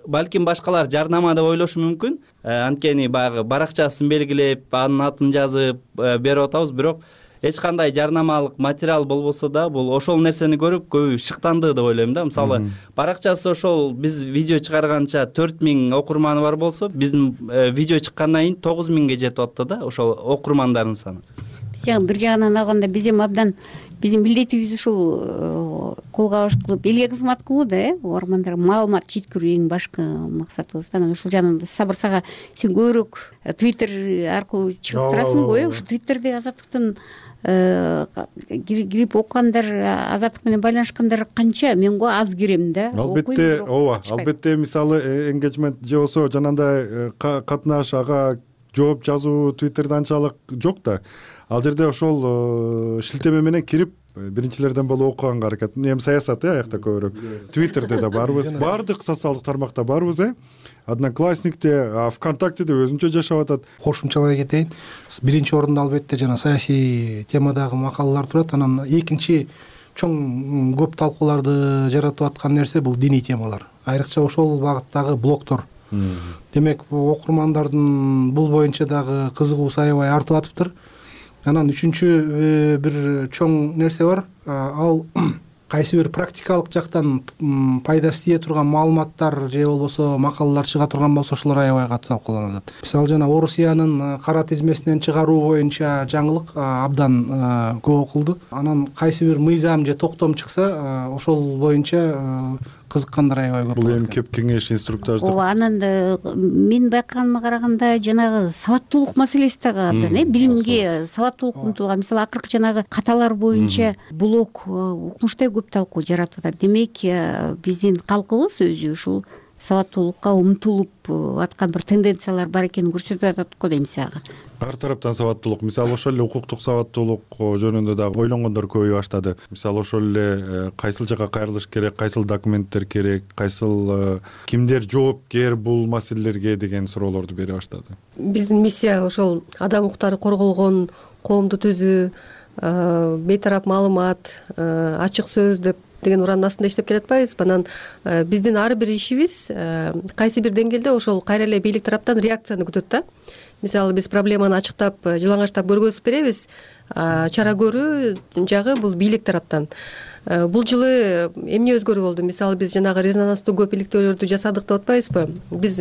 балким башкалар жарнама деп ойлошу мүмкүн. Анткени баягы баракчасын белгилеп, анын атын жазып берип атабыз, бирок эч кандай жарнамалык материал болбосо да, бул ошол нерсени көрүп көбү шыктанды деп ойлойм да. Мисалы баракчасы ошол биз видео чыгарганча 4000 окурманы бар болсо, биздин видео чыккандан кийин 9000ге жетип атты да ошол окурмандардын саны. Бир жагынан алганда биз эми абдан биздин милдетибиз ушул колго баш кылып элге кызмат кылуу да, угармандарга маалымат жеткирүү эң башкы максатыбыз да. Анан ушул жагынан Сабыр сага сен көбүрөөк Twitter аркылуу чыгып турасың го, ушу Twitterде Азаттыктын кирип окугандар, Азаттык менен байланышкандар канча? Мен го аз кирем да. Албетте, ооба, албетте мисалы engagement же болсо жанагындай катнаш, ага жооп жазуу Twitterде анчалык жок да. Ал жерде ошол шилтеме менен кирип биринчилерден болуп окуганга аракет. Эми саясат аякта көбүрөөк. Twitterде да барбыз, баардык социалдык тармакта барбыз. Одноклассникте, ВКонтактеде өзүнчө жашап атат. Кошумчалай кетейин. Биринчи орунда албетте жана саясий темадагы макалалар турат. Анан экинчи чоң көп талкууларды жаратып аткан нерсе бул диний темалар. Айрыкча ошол багыттагы блогдор. Демек, окурмандардын бул боюнча дагы кызыгуусу аябай артып атыптыр. Анан үчүнчү бир чоң нерсе бар. Ал кайсы бир практикалык жактан пайдасы тие турган маалыматтар же болбосо макалалар чыга турган болсо ошолор аябай катуу талкууланып атат. Мисалы жана Орусиянын кара тизмесинен чыгаруу боюнча жаңылык абдан көп окулду. Анан кайсы бир мыйзам же токтом чыкса ошол боюнча кызыккандар аябай көп. Бул эми кеп кеңеш инструктаждык. ооба, анан мен байкаганыма караганда жанагы сабаттуулук маселеси дагы абдан билимге сабаттуулук умтулган. Мисалы акыркы жанагы каталар боюнча блог укмуштай көп талкуу жаратып атат. Демек биздин калкыбыз өзү ушул сабаттуулукка умтулуп аткан бир тенденциялар бар экенин көрсөтүп атат го дейм сага. Ар тараптан сабаттуулук, мисалы ошол эле укуктук сабаттуулук жөнүндө дагы ойлонгондор көбөйө баштады. Мисалы ошол эле кайсыл жака кайрылыш керек, кайсыл документтер керек, кайсыл кимдер жоопкер бул маселелерге деген суроолорду бере баштады. Биздин миссия ошол адам укуктары корголгон коомду түзүү, бейтарап маалымат, ачык сөз деген ураандын астында иштеп келатпайбызбы? Анан биздин ар бир ишибиз кайсы бир деңгээлде ошол кайра эле бийлик тараптан реакцияны күтөт да. Мисалы биз проблеманы ачыктап, жылаңачтап көргөзүп беребиз. Чара көрүү жагы бул бийлик тараптан. Бул жылы эмне өзгөрүү болду? Мисалы биз жанагы резонанстуу көп иликтөөлөрдү жасадык деп атпайбызбы? Биз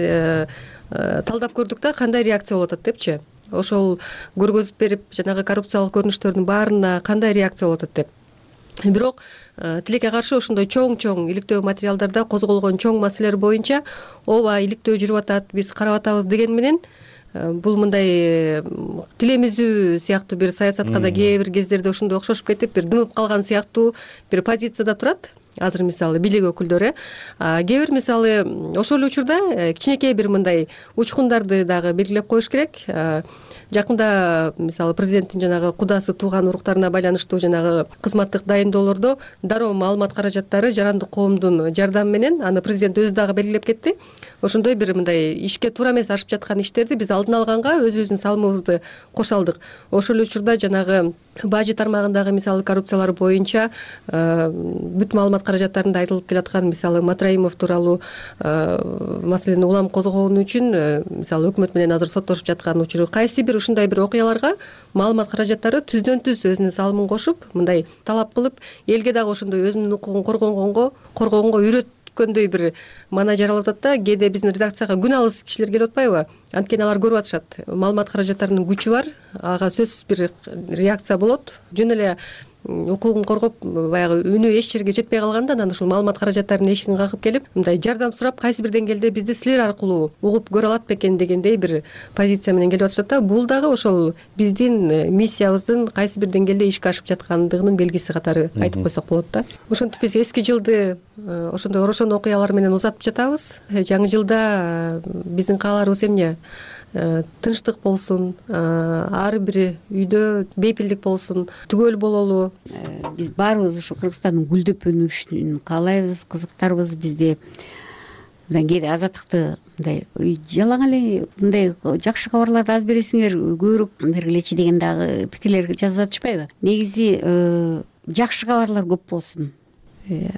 талдап көрдүк да кандай реакция болуп атат депчи. Ошол көргөзүп берип, жанагы коррупциялык көрүнүштөрдүн баарына кандай реакция болуп атат деп. Бирок тилекке каршы ошондой чоң иликтөө материалдарда козголгон чоң маселелер боюнча ооба иликтөө жүрүп атат, биз карап атабыз деген менен бул мындай тилемизүү сыяктуу бир саясатка да кээ бир кездерде ошондой окшошуп кетип, бир дымып калган сыяктуу бир позицияда турат. Азыр мисалы бийлик өкүлдөрү кээ бир мисалы ошол эле учурда кичинекей бир мындай учкундарды дагы белгилеп коюш керек. Жакында мисалы президенттин жанагы кудасы тууган уруктарына байланыштуу жанагы кызматтык дайындоолордо дароо маалымат каражаттары жарандык коомдун жардамы менен аны президент өзү дагы белгилеп кетти. Ошондой бир мындай ишке туура эмес ашып жаткан иштерди биз алдын алганга өзүбүздүн салымыбызды коша алдык. Ошол учурда жанагы бажы тармагындагы мисалы коррупциялар боюнча бүт маалымат каражаттарында айтылып келаткан мисалы Матраимов тууралуу маселени улам козгогону үчүн мисалы өкмөт менен азыр соттошуп жаткан учуру, кайсы бир ушундай бир окуяларга маалымат каражаттары түздөн түз өзүнүн салымын кошуп, мындай талап кылып, элге дагы ошондой өзүнүн укугун коргогонго үйрөткөндөй бир маана жаралып атат да. Кээде биздин редакцияга күн алыс кишилер келип атпайбы? Анткени алар көрүп атышат. Маалымат каражаттарынын күчү бар, ага сөзсүз бир реакция болот. Жөн эле укугун коргоп, баягы үнү эч жерге жетпей калганда анан ушул маалымат каражаттарынын эшигин кагып келип, мындай жардам сурап, кайсы бир деңгээлде бизди силер аркылуу угуп көрө алат бекен дегендей бир позиция менен келип атышат да. Бул дагы ошол биздин миссиябыздын кайсы бир деңгээлде ишке ашып жаткандыгынын белгиси катары айтып койсок болот да. Ошентип биз эски жылды ошондой орошон окуялар менен узатып жатабыз. Жаңы жылда биздин кааларыбыз эмне? Тынчтык болсун, ар бир үйдө бейпилдик болсун, түгөл бололу. Биз баарыбыз ушу Кыргызстандын гүлдөп өнүшүн каалайбыз, кызыктарбыз. Бизде мындай кээде азаттыкты мындай жалаң эле мындай жакшы кабарларды аз бересиңер, көбүрөөк бергилечи деген дагы пикирлер жазып атышпайбы? Негизи жакшы кабарлар көп болсун.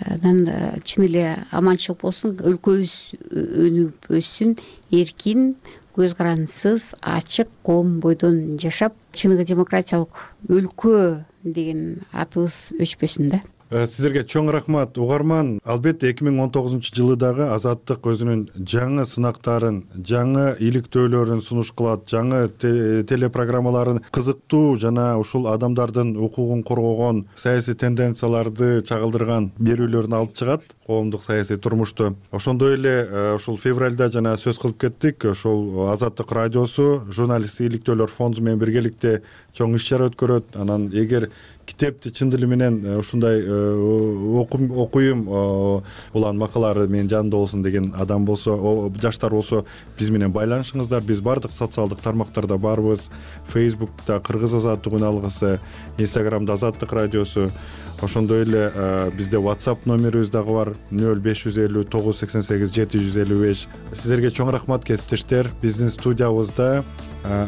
Анан чын эле аманчылык болсун, өлкөбүз өнүгүп өссүн, эркин, көз карандысыз, ачык коом бойдон жашап, чыныгы демократиялык өлкө деген атыбыз өчпөсүн да. Сиздерге чоң рахмат. Угарман, албетте 2019 дагы Азаттык өзүнүн жаңы сынактарын, жаңы иликтөөлөрүн сунуш кылат, жаңы телепрограммаларын кызыктуу жана ушул адамдардын укугун коргогон саясий тенденцияларды чагылдырган берүүлөрүн алып чыгат коомдук саясий турмушту. Ошондой эле ушул февралда жана сөз кылып кеттик, ошол Азаттык радиосу журналисттик иликтөөлөр фонду менен биргеликте чоң иш чара өткөрөт. Анан эгер китепти чын дили менен ушундай окуйм, улан макалалары менин жанымда болсун деген адам болсо, жаштар болсо, биз менен байланышыңыздар. Биз бардык социалдык тармактарда барбыз. Facebook'та Кыргыз азаттык үн алгысы, Instagram'да Азаттык радиосу. Ошондой эле бизде WhatsApp номерибиз дагы бар 0550 988 755. Сиздерге чоң рахмат, кесиптештер. Биздин студиябызда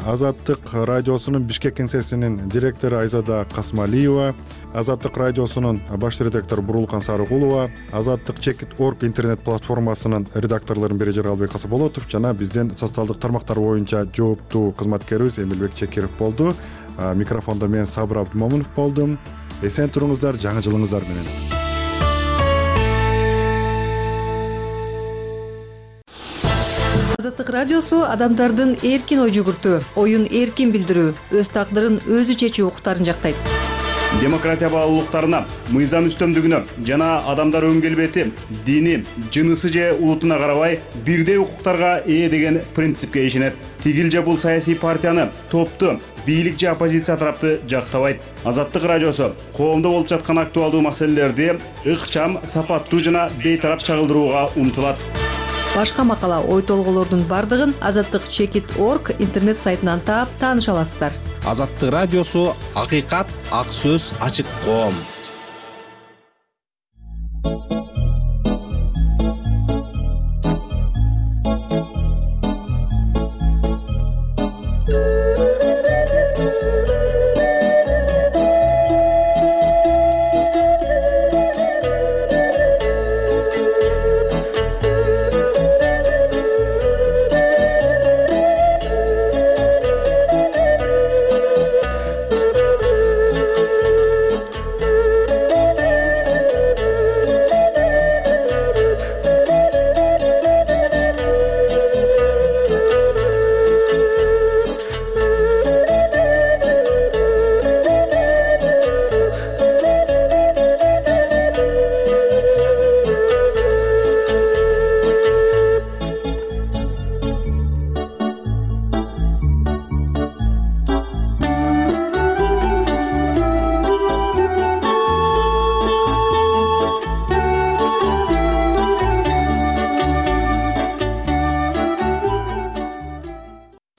Азаттык радиосунун Бишкек кеңсесинин директору Айзада Касмалиева, Азаттык радиосунун баш редактору Бурулкан Сарыгулова, Азаттык Чекит.org интернет платформасынын редакторлорунун бири Жаралбек Касаболотов жана биздин социалдык тармактар боюнча жооптуу кызматкерибиз Эмилбек Чекиров болду. Микрофондо мен Сабыр Абдымомунов болдум. Эсен туруңуздар, жаңы жылыңыздар менен. Азаттык радиосу адамдардын эркин ой жүгүртүү, оюн эркин билдирүү, өз тагдырын өзү чечүү укуктарын жактайт. Демократия баалуулуктарына, мыйзам үстөмдүгүнө жана адамдар өң келбети, дини, жынысы же улутуна карабай бирдей укуктарга ээ деген принципке ишенет. Тигил же бул саясий партияны, топту, бийлик же оппозиция тарапты жактабайт. Азаттык радиосу коомдо болуп жаткан актуалдуу маселелерди ыкчам, сапаттуу жана бейтарап чагылдырууга умтулат. Башка макала, ой толгоолордун бардыгын azattik.org интернет сайтынан таап тааныша аласыздар. Азаттык радиосу — акыйкат, ак сөз, ачык коом.